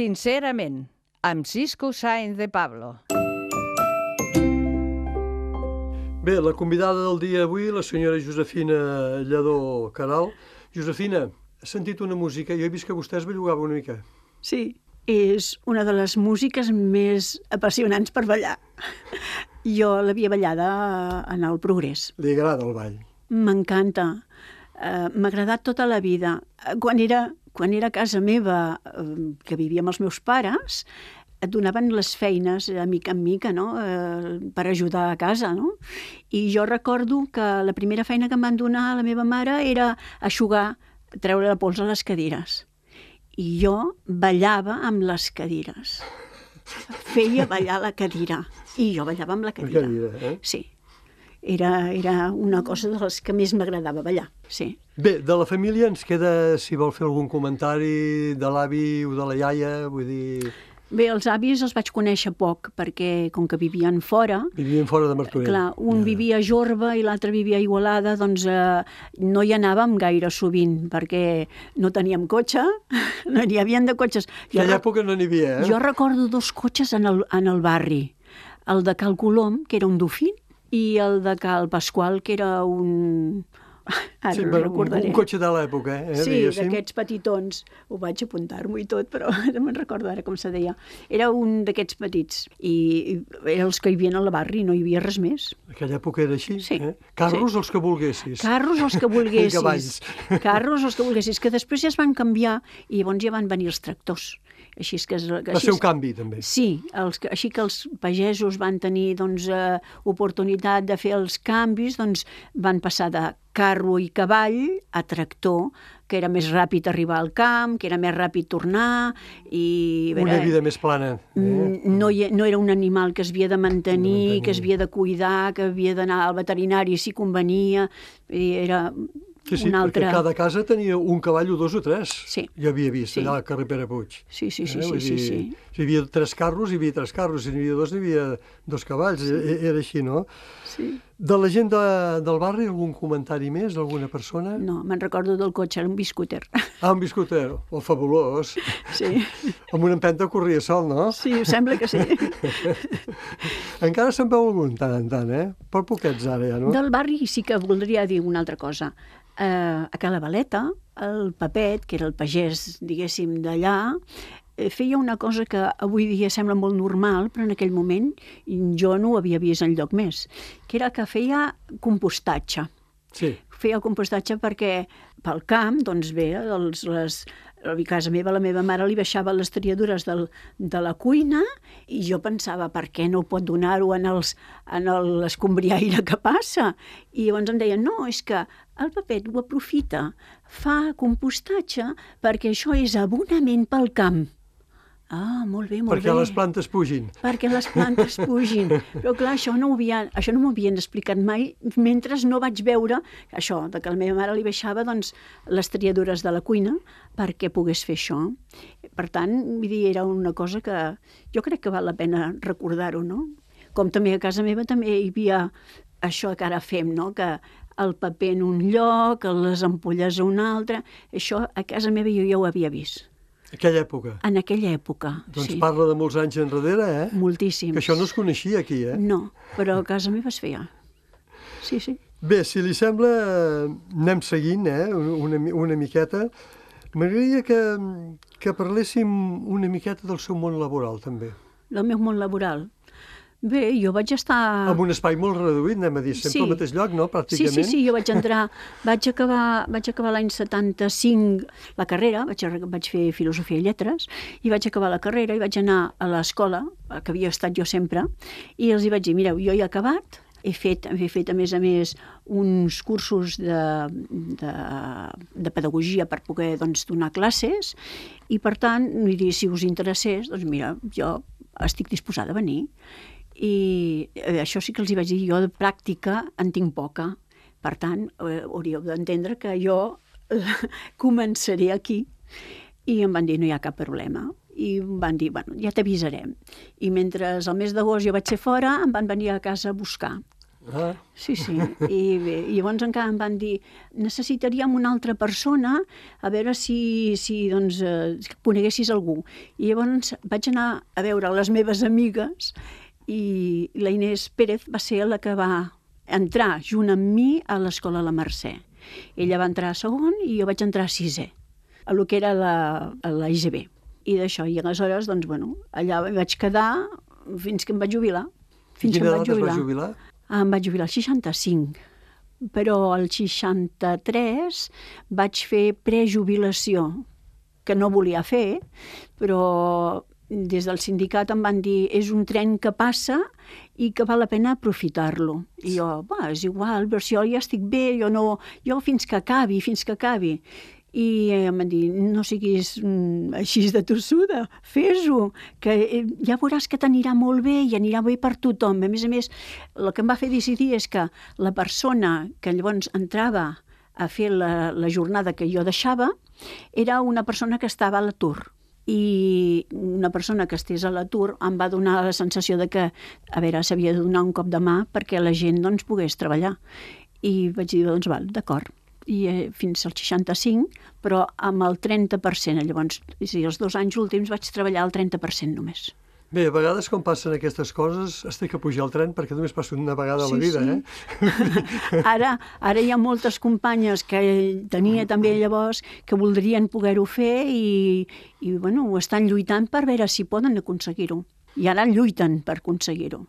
Sincerament, amb Cisco Sáenz de Pablo. Bé, la convidada del dia avui, la senyora Josefina Lledó Caral. Josefina, has sentit una música? Jo he vist que vostè es bellugava una mica. Sí, és una de les músiques més apassionants per ballar. Jo l'havia ballada en el Progrés. Li agrada el ball? M'encanta. Uh, M'ha agradat tota la vida. Quan era, quan era a casa meva, uh, que vivia amb els meus pares, et donaven les feines de mica en mica, no? eh, per ajudar a casa. No? I jo recordo que la primera feina que em van donar a la meva mare era eixugar, treure la pols a les cadires. I jo ballava amb les cadires. Feia ballar la cadira. I jo ballava amb la cadira. La cadira, eh? Sí. Era, era una cosa de les que més m'agradava ballar, sí. Bé, de la família ens queda, si vol fer algun comentari, de l'avi o de la iaia, vull dir... Bé, els avis els vaig conèixer poc, perquè com que vivien fora... Vivien fora de Martorell. Clar, un ja. vivia a Jorba i l'altre vivia a Igualada, doncs eh, no hi anàvem gaire sovint, perquè no teníem cotxe, no n'hi havia de cotxes. En aquella època no n'hi havia, eh? Jo recordo dos cotxes en el, en el barri, el de Cal Colom, que era un Dofín, i el de Cal Pasqual, que era un... Ara sí, no recordaré. Un cotxe de l'època, eh? Sí, d'aquests petitons. Ho vaig apuntar-m'ho i tot, però no me'n recordo ara com se deia. Era un d'aquests petits. I eren els que hi havia al barri, no hi havia res més. En aquella època era així, sí, eh? Carros sí. els que volguessis. Carros els que volguessis. Cavalls. Carros els que volguessis, que després ja es van canviar i llavors ja van venir els tractors. Així és que, que va ser un canvi, també. Sí, els, així que els pagesos van tenir doncs, eh, oportunitat de fer els canvis, doncs van passar de carro i cavall a tractor, que era més ràpid arribar al camp, que era més ràpid tornar... I, una vida més plana. Eh? No, no era un animal que es havia de mantenir, que es havia de cuidar, que havia d'anar al veterinari si convenia... Era... Sí, sí, una altra... perquè cada casa tenia un cavall o dos o tres. Sí. Jo havia vist, sí. allà al carrer Pere Puig. Sí, sí, sí. Eh? sí, sí, sí. Si hi havia tres carros, hi havia tres carros. Si n'hi havia dos, n'hi havia dos cavalls. Sí. Era així, no? Sí. De la gent de, del barri, algun comentari més d'alguna persona? No, me'n recordo del cotxe, era un biscúter. Ah, un biscúter, oh, fabulós. Sí. Amb una empenta corria sol, no? Sí, sembla que sí. Encara se'n veu algun, tant en tant, eh? Per poquets ara, ja, no? Del barri sí que voldria dir una altra cosa. Uh, a Cala Valeta, el Papet, que era el pagès, diguéssim, d'allà, feia una cosa que avui dia sembla molt normal, però en aquell moment jo no ho havia vist enlloc més, que era que feia compostatge. Sí. Feia compostatge perquè pel camp, doncs bé, els, les, a casa meva, la meva mare li baixava les triadures del, de la cuina i jo pensava, per què no pot donar-ho en, els, en l'escombriaire que passa? I llavors em deien, no, és que el Papet ho aprofita, fa compostatge perquè això és abonament pel camp. Ah, molt bé, molt perquè bé. Perquè les plantes pugin. Perquè les plantes pugin. Però clar, això no, havia, això no m'ho havien explicat mai, mentre no vaig veure això, de que la meva mare li baixava doncs, les triadures de la cuina perquè pogués fer això. Per tant, vull dir, era una cosa que jo crec que val la pena recordar-ho, no? Com també a casa meva també hi havia això que ara fem, no? Que el paper en un lloc, les ampolles a un altre, això a casa meva jo ja ho havia vist. Aquella època? En aquella època, doncs sí. Parla de molts anys enrere, eh? Moltíssims. Que això no es coneixia aquí, eh? No, però a casa meva es feia. Sí, sí. Bé, si li sembla, anem seguint, eh? Una, una miqueta. M'agradaria que, que parléssim una miqueta del seu món laboral, també. Del meu món laboral? Bé, jo vaig estar... En un espai molt reduït, anem a dir, sempre sí. Al mateix lloc, no?, pràcticament. Sí, sí, sí, jo vaig entrar, vaig acabar, vaig acabar l'any setanta-cinc la carrera, vaig, vaig fer Filosofia i Lletres, i vaig acabar la carrera i vaig anar a l'escola, que havia estat jo sempre, i els hi vaig dir, mireu, jo he acabat, he fet, he fet a més a més uns cursos de, de, de pedagogia per poder doncs, donar classes, i per tant, vull dir, si us interessés, doncs mira, jo estic disposada a venir. I això sí que els hi vaig dir, jo de pràctica en tinc poca. Per tant, eh, hauríeu d'entendre que jo eh, començaré aquí. I em van dir, no hi ha cap problema. I em van dir, bueno, ja t'avisarem. I mentre el mes d'agost jo vaig ser fora, em van venir a casa a buscar. Ah. Sí, sí. I, bé, i llavors encara em van dir necessitaríem una altra persona a veure si, si doncs, eh, coneguessis algú. I llavors vaig anar a veure les meves amigues i la Inés Pérez va ser la que va entrar junt amb mi a l'escola La Mercè. Ella va entrar a segon i jo vaig entrar a sisè, a lo que era la, a la I G B. I d'això, i aleshores, doncs, bueno, allà vaig quedar fins que em vaig jubilar. Fins Quina que em edat vaig es jubilar. va jubilar? Ah, em vaig jubilar al seixanta-cinc, però al seixanta-tres vaig fer prejubilació, que no volia fer, però des del sindicat em van dir és un tren que passa i que val la pena aprofitar-lo. I jo, va, és igual, però si jo ja estic bé, jo no... Jo fins que acabi, fins que acabi. I em van dir, no siguis mm, així de tossuda, fes-ho, que eh, ja veuràs que t'anirà molt bé i anirà bé per tothom. A més a més, el que em va fer decidir és que la persona que llavors entrava a fer la, la jornada que jo deixava era una persona que estava a l'atur. I una persona que estés a l'atur em va donar la sensació de que, a veure, s'havia de donar un cop de mà perquè la gent doncs, pogués treballar. I vaig dir, doncs, val, d'acord. I eh, fins al seixanta-cinc, però amb el trenta per cent. Llavors, sí, els dos anys últims vaig treballar el trenta per cent només. Bé, a vegades quan passen aquestes coses es té que pujar al tren perquè només passa una vegada a la Sí, vida, sí. eh? Ara, ara hi ha moltes companyes que tenia també llavors que voldrien poder-ho fer i, i bueno, ho estan lluitant per veure si poden aconseguir-ho. I ara lluiten per aconseguir-ho.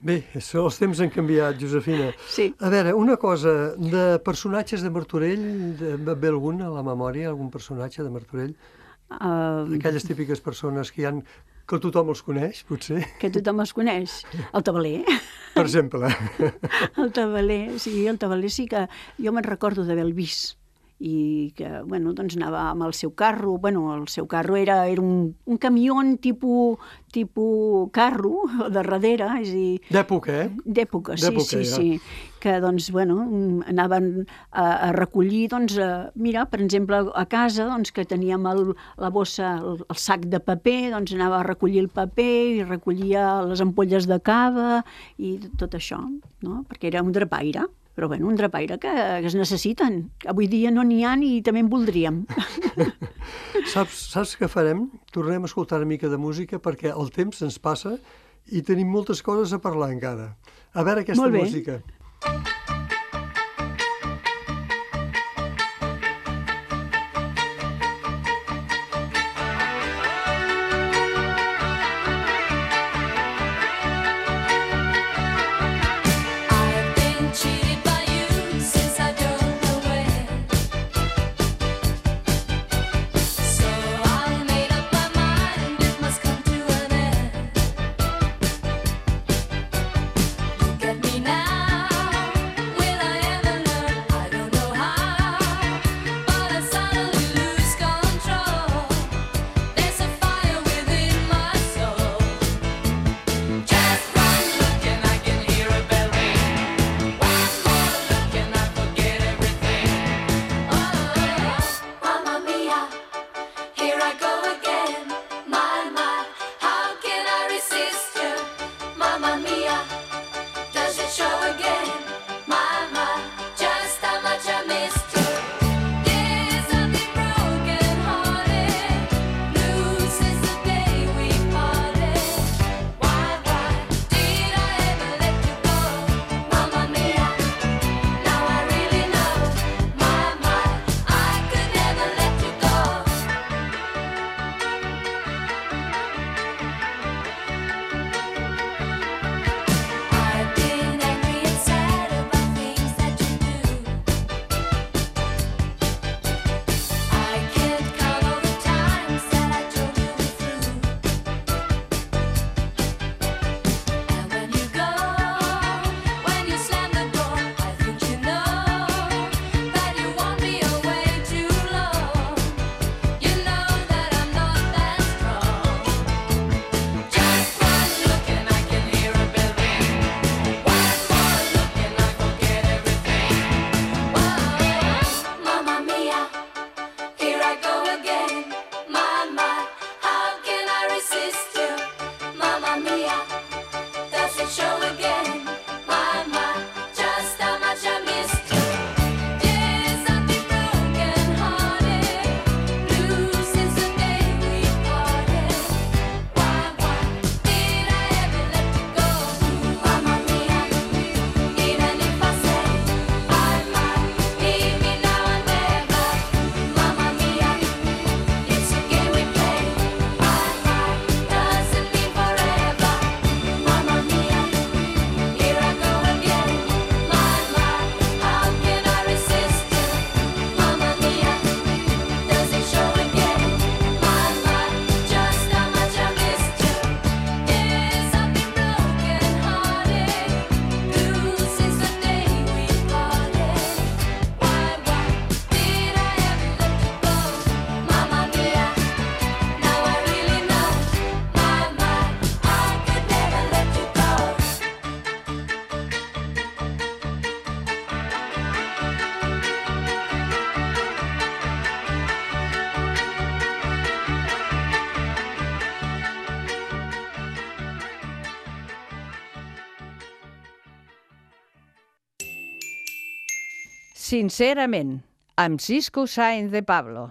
Bé, això, els temps han canviat, Josefina. Sí. A veure, una cosa, de personatges de Martorell, de, ve algun a la memòria, algun personatge de Martorell? Uh, Aquelles típiques persones que hi han, que tothom els coneix, potser, que tothom els coneix. El tabaler. per exemple. El tabaler, sí, el tabaler sí que jo me'n recordo d'haver-lo vist i que, bueno, doncs anava amb el seu carro, bueno, el seu carro era, era un, un camió tipus, tipus carro de darrere, és a dir... D'època, eh? D'època, sí, D'època, sí, ja. sí, que, doncs, bueno, anaven a, a recollir, doncs, a, mira, per exemple, a casa, doncs, que teníem el, la bossa, el, el sac de paper, doncs anava a recollir el paper i recollia les ampolles de cava i tot això, no?, perquè era un drapaire. Però, bueno, un drapaire que, que es necessiten. Avui dia no n'hi ha i també en voldríem. Saps, saps què farem? Tornem a escoltar una mica de música perquè el temps ens passa i tenim moltes coses a parlar encara. A veure aquesta Molt bé. música. I've been cheated by you since I don't know when. So I made up my mind it must come to an end. Look at me now. Sincerament, amb Cisco Sáenz de Pablo.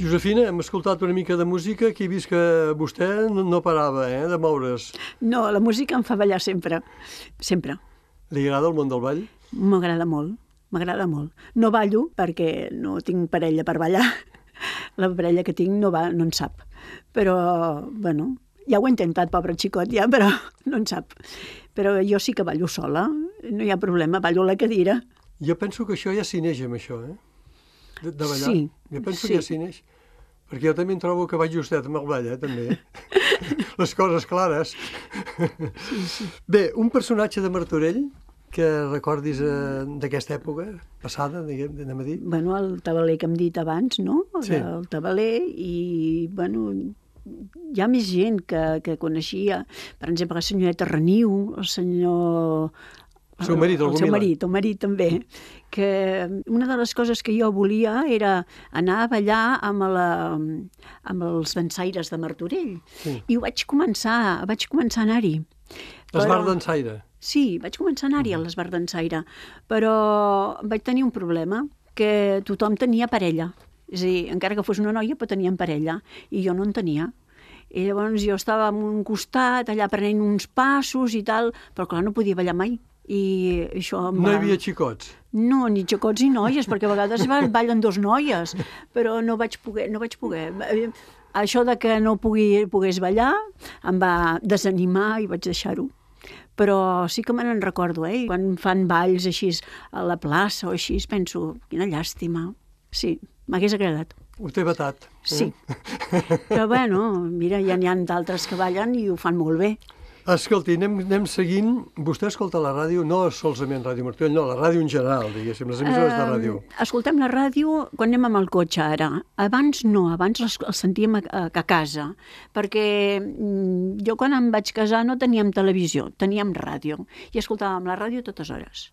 Josefina, hem escoltat una mica de música, que he vist que vostè no, no parava eh, de moure's. No, la música em fa ballar sempre, sempre. Li agrada el món del ball? M'agrada molt, m'agrada molt. No ballo perquè no tinc parella per ballar. La parella que tinc no, va, no en sap. Però, bueno, ja ho he intentat, pobre xicot, ja, però no en sap. Però jo sí que ballo sola, no hi ha problema, ballo a la cadira. Jo penso que això ja s'hi neix amb això, eh? De, de ballar. Sí, jo penso sí. que ja s'hi neix. Perquè jo també em trobo que vaig justet amb el ball, eh, també. Les coses clares. Sí, sí. Bé, un personatge de Martorell que recordis eh, d'aquesta època passada, diguem, anem a dir. Bueno, el tabaler que hem dit abans, no? Sí. El tabaler i, bueno, hi ha més gent que, que coneixia. Per exemple, la senyoreta Reniu, el senyor... El seu marit, el el seu Gomila. marit, el marit també, que una de les coses que jo volia era anar a ballar amb, la, amb els dansaires de Martorell. Sí. I ho vaig començar, vaig començar a anar-hi. Esbar d'ensaire. Sí, vaig començar a anar-hi a l'Esbar d'Ensaire, però vaig tenir un problema, que tothom tenia parella. És a dir, encara que fos una noia, però tenien parella, i jo no en tenia. I llavors jo estava en un costat, allà prenent uns passos i tal, però clar, no podia ballar mai. I això em No va... hi havia xicots. No, ni xacots ni noies, perquè a vegades ba- ballen dos noies, però no vaig poder, no vaig poder. Això de que no pugui, pogués ballar em va desanimar i vaig deixar-ho. Però sí que me n'en recordo, eh? Quan fan balls així a la plaça o així, penso, quina llàstima. Sí, m'hagués agradat. Ho té vetat. Eh? Sí. Però bueno, mira, ja n'hi ha d'altres que ballen i ho fan molt bé. Escolti, anem, anem seguint. Vostè escolta la ràdio, no solament Ràdio Martorell, no, la ràdio en general, diguéssim, les emissores de ràdio. Eh, escoltem la ràdio quan anem amb el cotxe ara. Abans no, abans les, els sentíem a, a, a casa, perquè mm, jo quan em vaig casar no teníem televisió, teníem ràdio, i escoltàvem la ràdio a totes hores.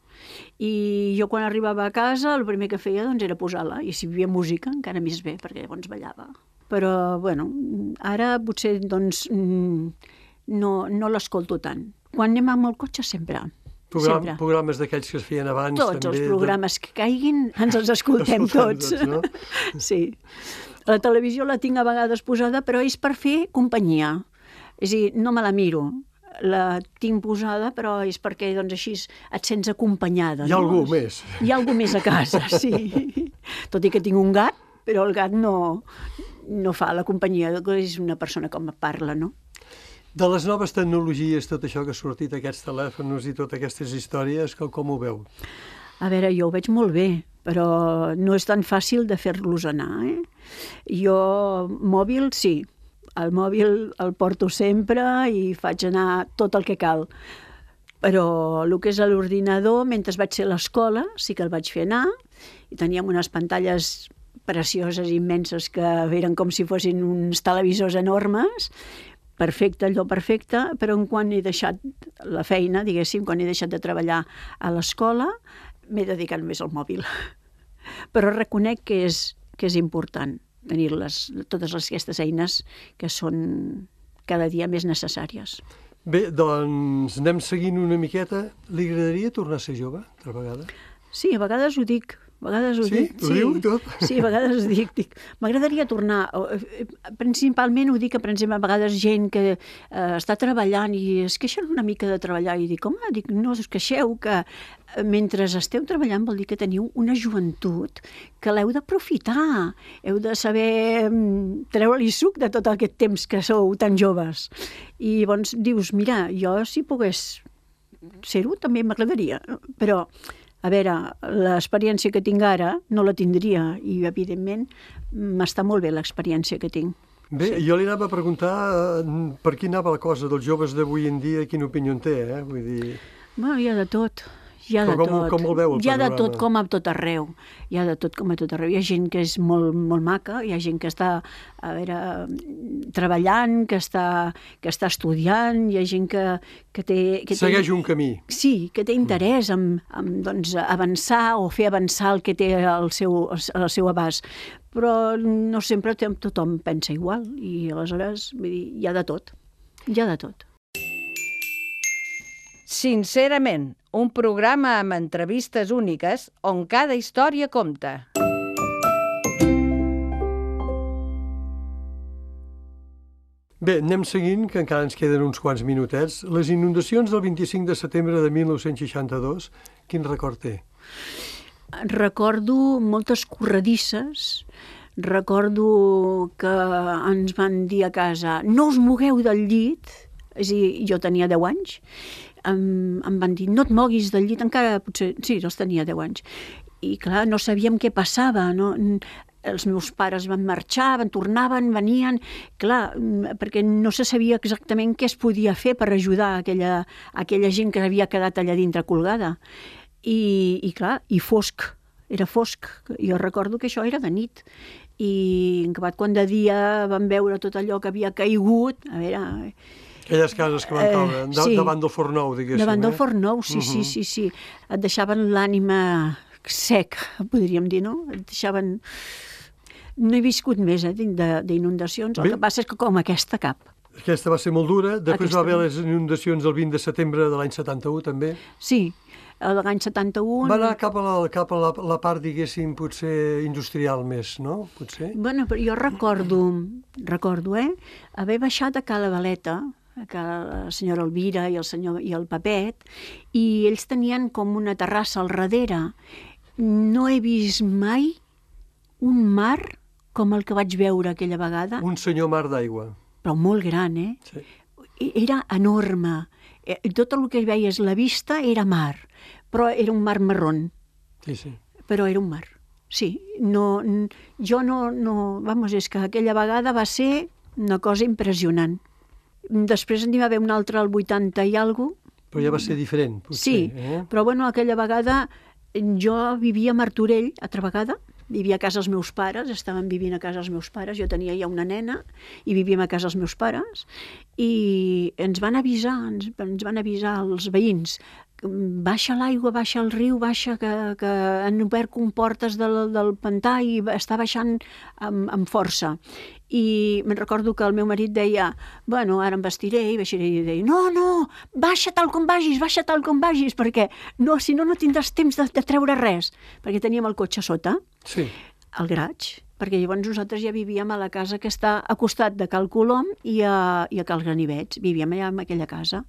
I jo quan arribava a casa el primer que feia doncs, era posar-la, i si hi havia música encara més bé, perquè llavors ballava. Però, bueno, ara potser doncs, mm, no, no l'escolto tant. Quan anem amb el cotxe sempre. Program, sempre. Programes d'aquells que es feien abans. Tots també, els programes que caiguin ens els escoltem Escoltem tots. tots, no? Sí. La televisió la tinc a vegades posada, però és per fer companyia. És a dir, no me la miro. La tinc posada, però és perquè doncs, així et sents acompanyada. Hi ha no? algú més. Hi ha algú més a casa, sí. Tot i que tinc un gat, però el gat no, no fa la companyia, és una persona com parla, no? De les noves tecnologies, tot això que ha sortit, aquests telèfons i totes aquestes històries, com, com ho veu? A veure, jo ho veig molt bé, però no és tan fàcil de fer-los anar, eh? Jo, mòbil, sí. El mòbil el porto sempre i faig anar tot el que cal. Però el que és l'ordinador, mentre vaig ser a l'escola, sí que el vaig fer anar, i teníem unes pantalles precioses, immenses, que eren com si fossin uns televisors enormes, perfecte, allò perfecte, però en quan he deixat la feina, diguéssim, quan he deixat de treballar a l'escola, m'he dedicat més al mòbil. Però reconec que és, que és important tenir les, totes les, aquestes eines que són cada dia més necessàries. Bé, doncs anem seguint una miqueta. Li agradaria tornar a ser jove, altra vegada? Sí, a vegades ho dic. A vegades ho Sí? dic. Ho diu tot? Sí, a vegades ho dic. dic M'agradaria tornar. Principalment ho dic que, per exemple, a vegades gent que eh, està treballant i es queixen una mica de treballar i dic, home, dic, no us queixeu, que mentre esteu treballant vol dir que teniu una joventut que l'heu d'aprofitar, heu de saber treure-li suc de tot aquest temps que sou tan joves. I llavors dius, mira, jo si pogués ser-ho també m'agradaria, però a veure, l'experiència que tinc ara no la tindria i, evidentment, m'està molt bé l'experiència que tinc. Bé, sí. Jo li anava a preguntar eh, per qui anava la cosa dels joves d'avui en dia, quina opinió en té, eh? Vull dir... Bueno, hi ha de tot. Hi ha de Com- tot. com el veu, el hi ha de panorama? tot com a tot arreu. Hi ha de tot com a tot arreu. Hi ha gent que és molt, molt maca, hi ha gent que està a veure, treballant, que està, que està estudiant, hi ha gent que, que té... Que Segueix té, un camí. Sí, que té interès en, en doncs, avançar o fer avançar el que té al seu, al seu abast. Però no sempre tothom pensa igual i aleshores vull dir, hi ha de tot. Hi ha de tot. Sincerament, un programa amb entrevistes úniques on cada història compta. Bé, anem seguint, que encara ens queden uns quants minutets. Les inundacions del vint-i-cinc de setembre de mil nou-cents seixanta-dos, quin record té? Recordo moltes corredisses, recordo que ens van dir a casa no us mogueu del llit, és a dir, jo tenia deu anys, em, em van dir no et moguis del llit, encara potser, sí, els tenia deu anys, i clar, no sabíem què passava, no? Els meus pares van marxar, van tornaven, venien, clar, perquè no se sabia exactament què es podia fer per ajudar aquella, aquella gent que havia quedat allà dintre colgada. I, i clar, i fosc, era fosc. Jo recordo que això era de nit. I en acabat quan de dia vam veure tot allò que havia caigut, a veure... Aquelles cases que van caure, eh, sí, davant del forn nou, diguéssim. Davant del eh? forn nou, sí, uh -huh. sí, sí, sí. Et deixaven l'ànima sec, podríem dir, no? Et deixaven... No he viscut més eh, d'inundacions, el que passa és que com aquesta cap. Aquesta va ser molt dura, després Aquesta... va haver les inundacions el vint de setembre de l'any setanta-u, també. Sí, l'any setanta-u... Va anar cap a, la, cap a la, la part, diguéssim, potser industrial més, no? Potser? Bueno, però jo recordo, recordo, eh, haver baixat a Cala Valeta, que la senyora Elvira i el senyor i el Papet, i ells tenien com una terrassa al darrere. No he vist mai un mar com el que vaig veure aquella vegada. Un senyor mar d'aigua. Però molt gran, eh? Sí. Era enorme. Tot el que hi veies, la vista era mar, però era un mar marrón. Sí, sí. Però era un mar. Sí, no, jo no, no... Vamos, és que aquella vegada va ser una cosa impressionant. Després n'hi va haver una altra al vuitanta i alguna cosa. Però ja va ser diferent, potser. Sí, eh? però bueno, aquella vegada jo vivia a Martorell, altra vegada, vivia a casa dels meus pares, estaven vivint a casa dels meus pares, jo tenia ja una nena i vivíem a casa dels meus pares i ens van avisar, ens, ens van avisar els veïns, baixa l'aigua, baixa el riu, baixa, que, que han obert comportes del, del pantà i està baixant amb, amb força. I me'n recordo que el meu marit deia, bueno, ara em vestiré i baixaré, i deia, no, no, baixa tal com vagis, baixa tal com vagis, perquè no, si no, no tindràs temps de, de treure res, perquè teníem el cotxe sota, sí, al garatge, perquè llavors nosaltres ja vivíem a la casa que està a costat de Cal Colom i a, i a Cal Ganivets, vivíem allà en aquella casa,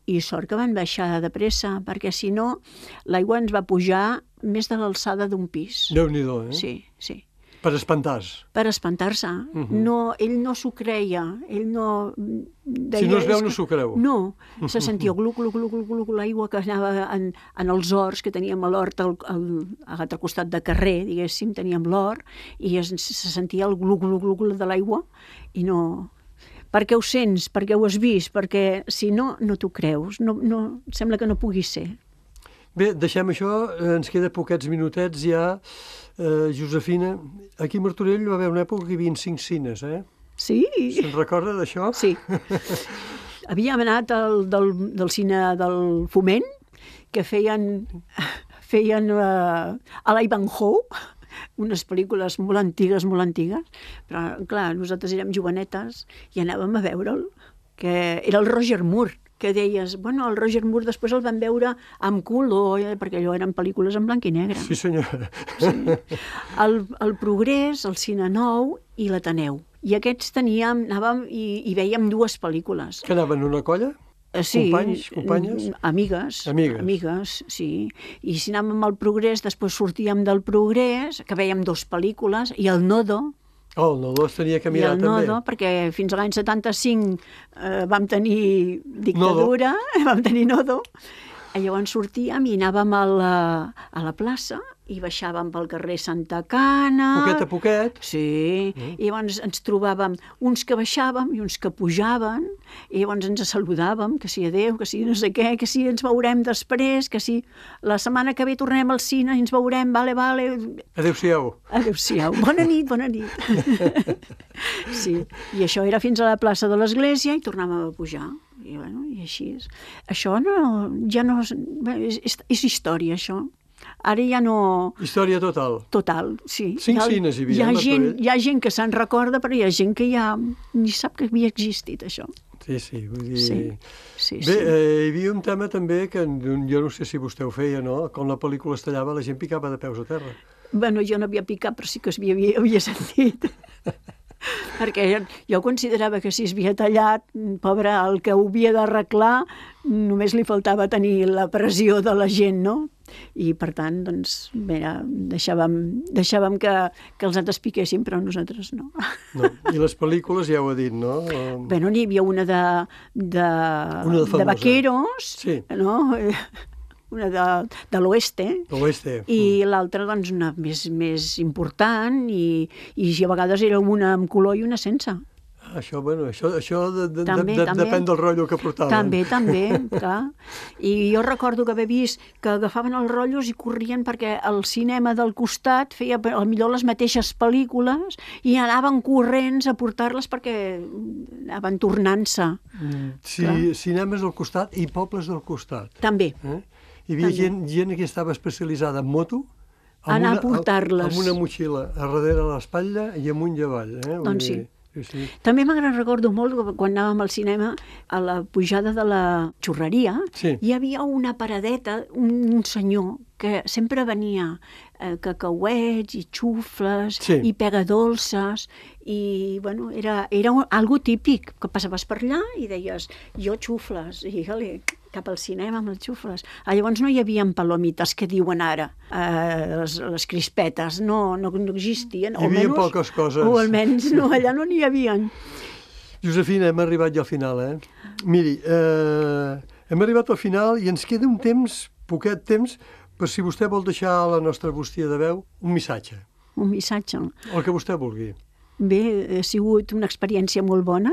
i sort que van baixar de pressa, perquè si no, l'aigua ens va pujar més de l'alçada d'un pis. Déu-n'hi-do, eh? Sí, sí. Per espantar-se. Per espantar-se. Uh -huh. No, ell no s'ho creia. Ell no... Deia, si no es veu, que... no s'ho creu. No. Se sentia glu, glu, glu, glu, glu, l'aigua que anava en, en els horts, que teníem a l'hort al, al, a l'altre costat de carrer, diguéssim, teníem l'hort, i es, se sentia el glu, glu, glu, glu de l'aigua, i no... Perquè ho sents, perquè ho has vist, perquè si no, no t'ho creus. No, no, sembla que no pugui ser. Bé, deixem això, ens queda poquets minutets ja. Uh, Josefina, aquí a Martorell va haver una època que hi havia cinc cines, eh? Sí. Se'n recorda d'això? Sí. Havíem anat al, del, del cine del Foment, que feien, feien uh, a l'Ivanhoe, unes pel·lícules molt antigues, molt antigues, però, clar, nosaltres érem jovenetes i anàvem a veure'l, que era el Roger Moore, que deies, bueno, el Roger Moore després el van veure amb color, eh, perquè allò eren pel·lícules en blanc i negre. Sí, senyora. Sí. El, el Progrés, el Cine Nou i l'Ateneu. I aquests teníem, anàvem i, i vèiem dues pel·lícules. Que anaven una colla? Sí, Companys, companyes? Amigues, amigues. Amigues, sí. I si anàvem al Progrés, després sortíem del Progrés, que vèiem dues pel·lícules, i el Nodo. Oh, el Nodo es tenia que mirar I el també. Nodo, perquè fins a l'any setanta-cinc eh, vam tenir dictadura, Nodo. vam tenir Nodo, i llavors sortíem i anàvem a la, a la plaça i baixàvem pel carrer Santa Cana. Poquet a poquet. Sí, mm. i llavors ens trobàvem uns que baixàvem i uns que pujaven, i llavors ens saludàvem, que si adéu, que si no sé què, que si ens veurem després, que si la setmana que ve tornem al cine i ens veurem, vale, vale. Adéu-siau. Adéu-siau. Bona nit, bona nit. Sí, i això era fins a la plaça de l'Església i tornàvem a pujar. I, bueno, i així és. Això no, ja no... És, és, és història, això. Ara ja no... Història total. Total, sí. Cinc hi ha, cines hi havia. Hi ha, eh, gent, hi ha gent que se'n recorda, però hi ha gent que ja ni sap que havia existit, això. Sí, sí, vull dir... Sí, sí, Bé, sí. eh, hi havia un tema també que jo no sé si vostè ho feia, no? Quan la pel·lícula es tallava la gent picava de peus a terra. Bueno, jo no havia picat, però sí que es havia, havia sentit. Perquè jo considerava que si es havia tallat, pobre, el que ho havia d'arreglar, només li faltava tenir la pressió de la gent, no? I, per tant, doncs, bé, deixàvem, deixàvem que, que els altres piquessin, però nosaltres no. No. I les pel·lícules, ja ho ha dit, no? Bueno, n'hi havia una de, de, Una de famosa. de vaqueros, Sí. no? Una de, de l'oeste, De l'oeste. i l'altra, doncs, una més, més important, i, i a vegades era una amb color i una sense. Això, bueno, això, això de, de, També, de, també. depèn del rotllo que portaven. També, també, clar. I jo recordo que haver vist que agafaven els rotllos i corrien perquè el cinema del costat feia potser les mateixes pel·lícules i anaven corrents a portar-les perquè anaven tornant-se. Mm, Sí, Clar. cinemes del costat i pobles del costat. També. Eh? Hi havia També. gent, gent que estava especialitzada en moto, amb Anar a una- portar-les. amb una motxilla a darrere a l'espatlla i amunt i avall. Eh? Vull Doncs sí. dir, sí, sí. També m'agrada, recordo molt, que quan anàvem al cinema, a la pujada de la xurreria, Sí. hi havia una paradeta, un, un senyor que sempre venia eh, cacauets i xufles Sí. i pegadolces, i bueno, era, era un, algo típic, que passaves per allà i deies, jo xufles, i ole, cap al cinema amb els xufles. Ah, llavors no hi havia palomites que diuen ara, eh, les, les crispetes, no, no, no existien. Hi havia poques coses. O almenys no, allà no n'hi havia. Josefina, hem arribat ja al final, eh? Miri, eh, hem arribat al final i ens queda un temps, poquet temps, per si vostè vol deixar a la nostra bústia de veu un missatge, Un missatge. el que vostè vulgui. Bé, ha sigut una experiència molt bona,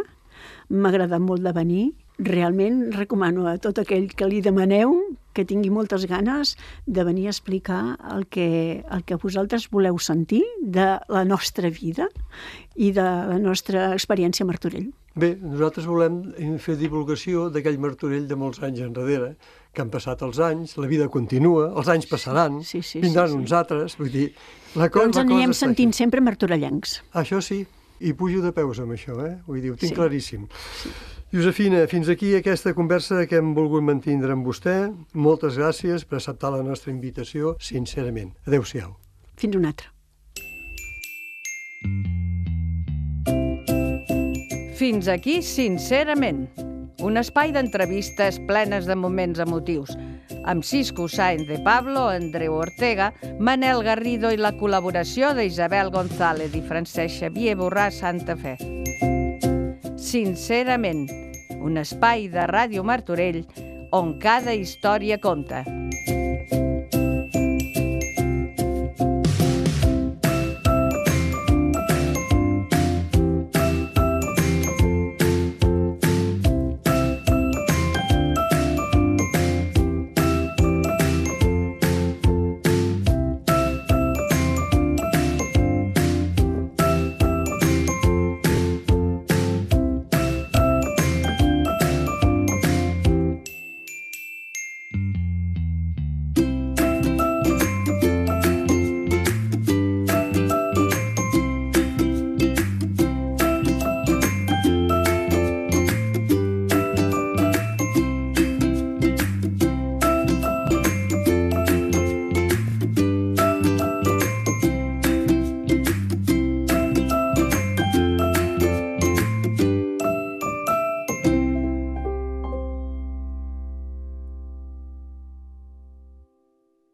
m'ha agradat molt de venir. Realment recomano a tot aquell que li demaneu que tingui moltes ganes de venir a explicar el que, el que vosaltres voleu sentir de la nostra vida i de la nostra experiència a Martorell. Bé, nosaltres volem fer divulgació d'aquell Martorell de molts anys enrere, que han passat els anys, la vida continua, els anys passaran, Sí, sí, vindran sí, sí. uns altres, vull dir, la, co Però ens la cosa anirem està sentint aquí. sempre martorellencs. Això sí, i pujo de peus amb això, eh? Vull dir, ho tinc Sí. claríssim. Josefina, fins aquí aquesta conversa que hem volgut mantindre amb vostè. Moltes gràcies per acceptar la nostra invitació, sincerament. Adéu-siau. Fins un altre. Fins aquí, sincerament, un espai d'entrevistes plenes de moments emotius, amb Cisco Sáenz de Pablo, Andreu Ortega, Manel Garrido i la col·laboració d'Isabel González i Francesc Xavier Borràs Santa Fe. Sincerament, un espai de Ràdio Martorell on cada història compta.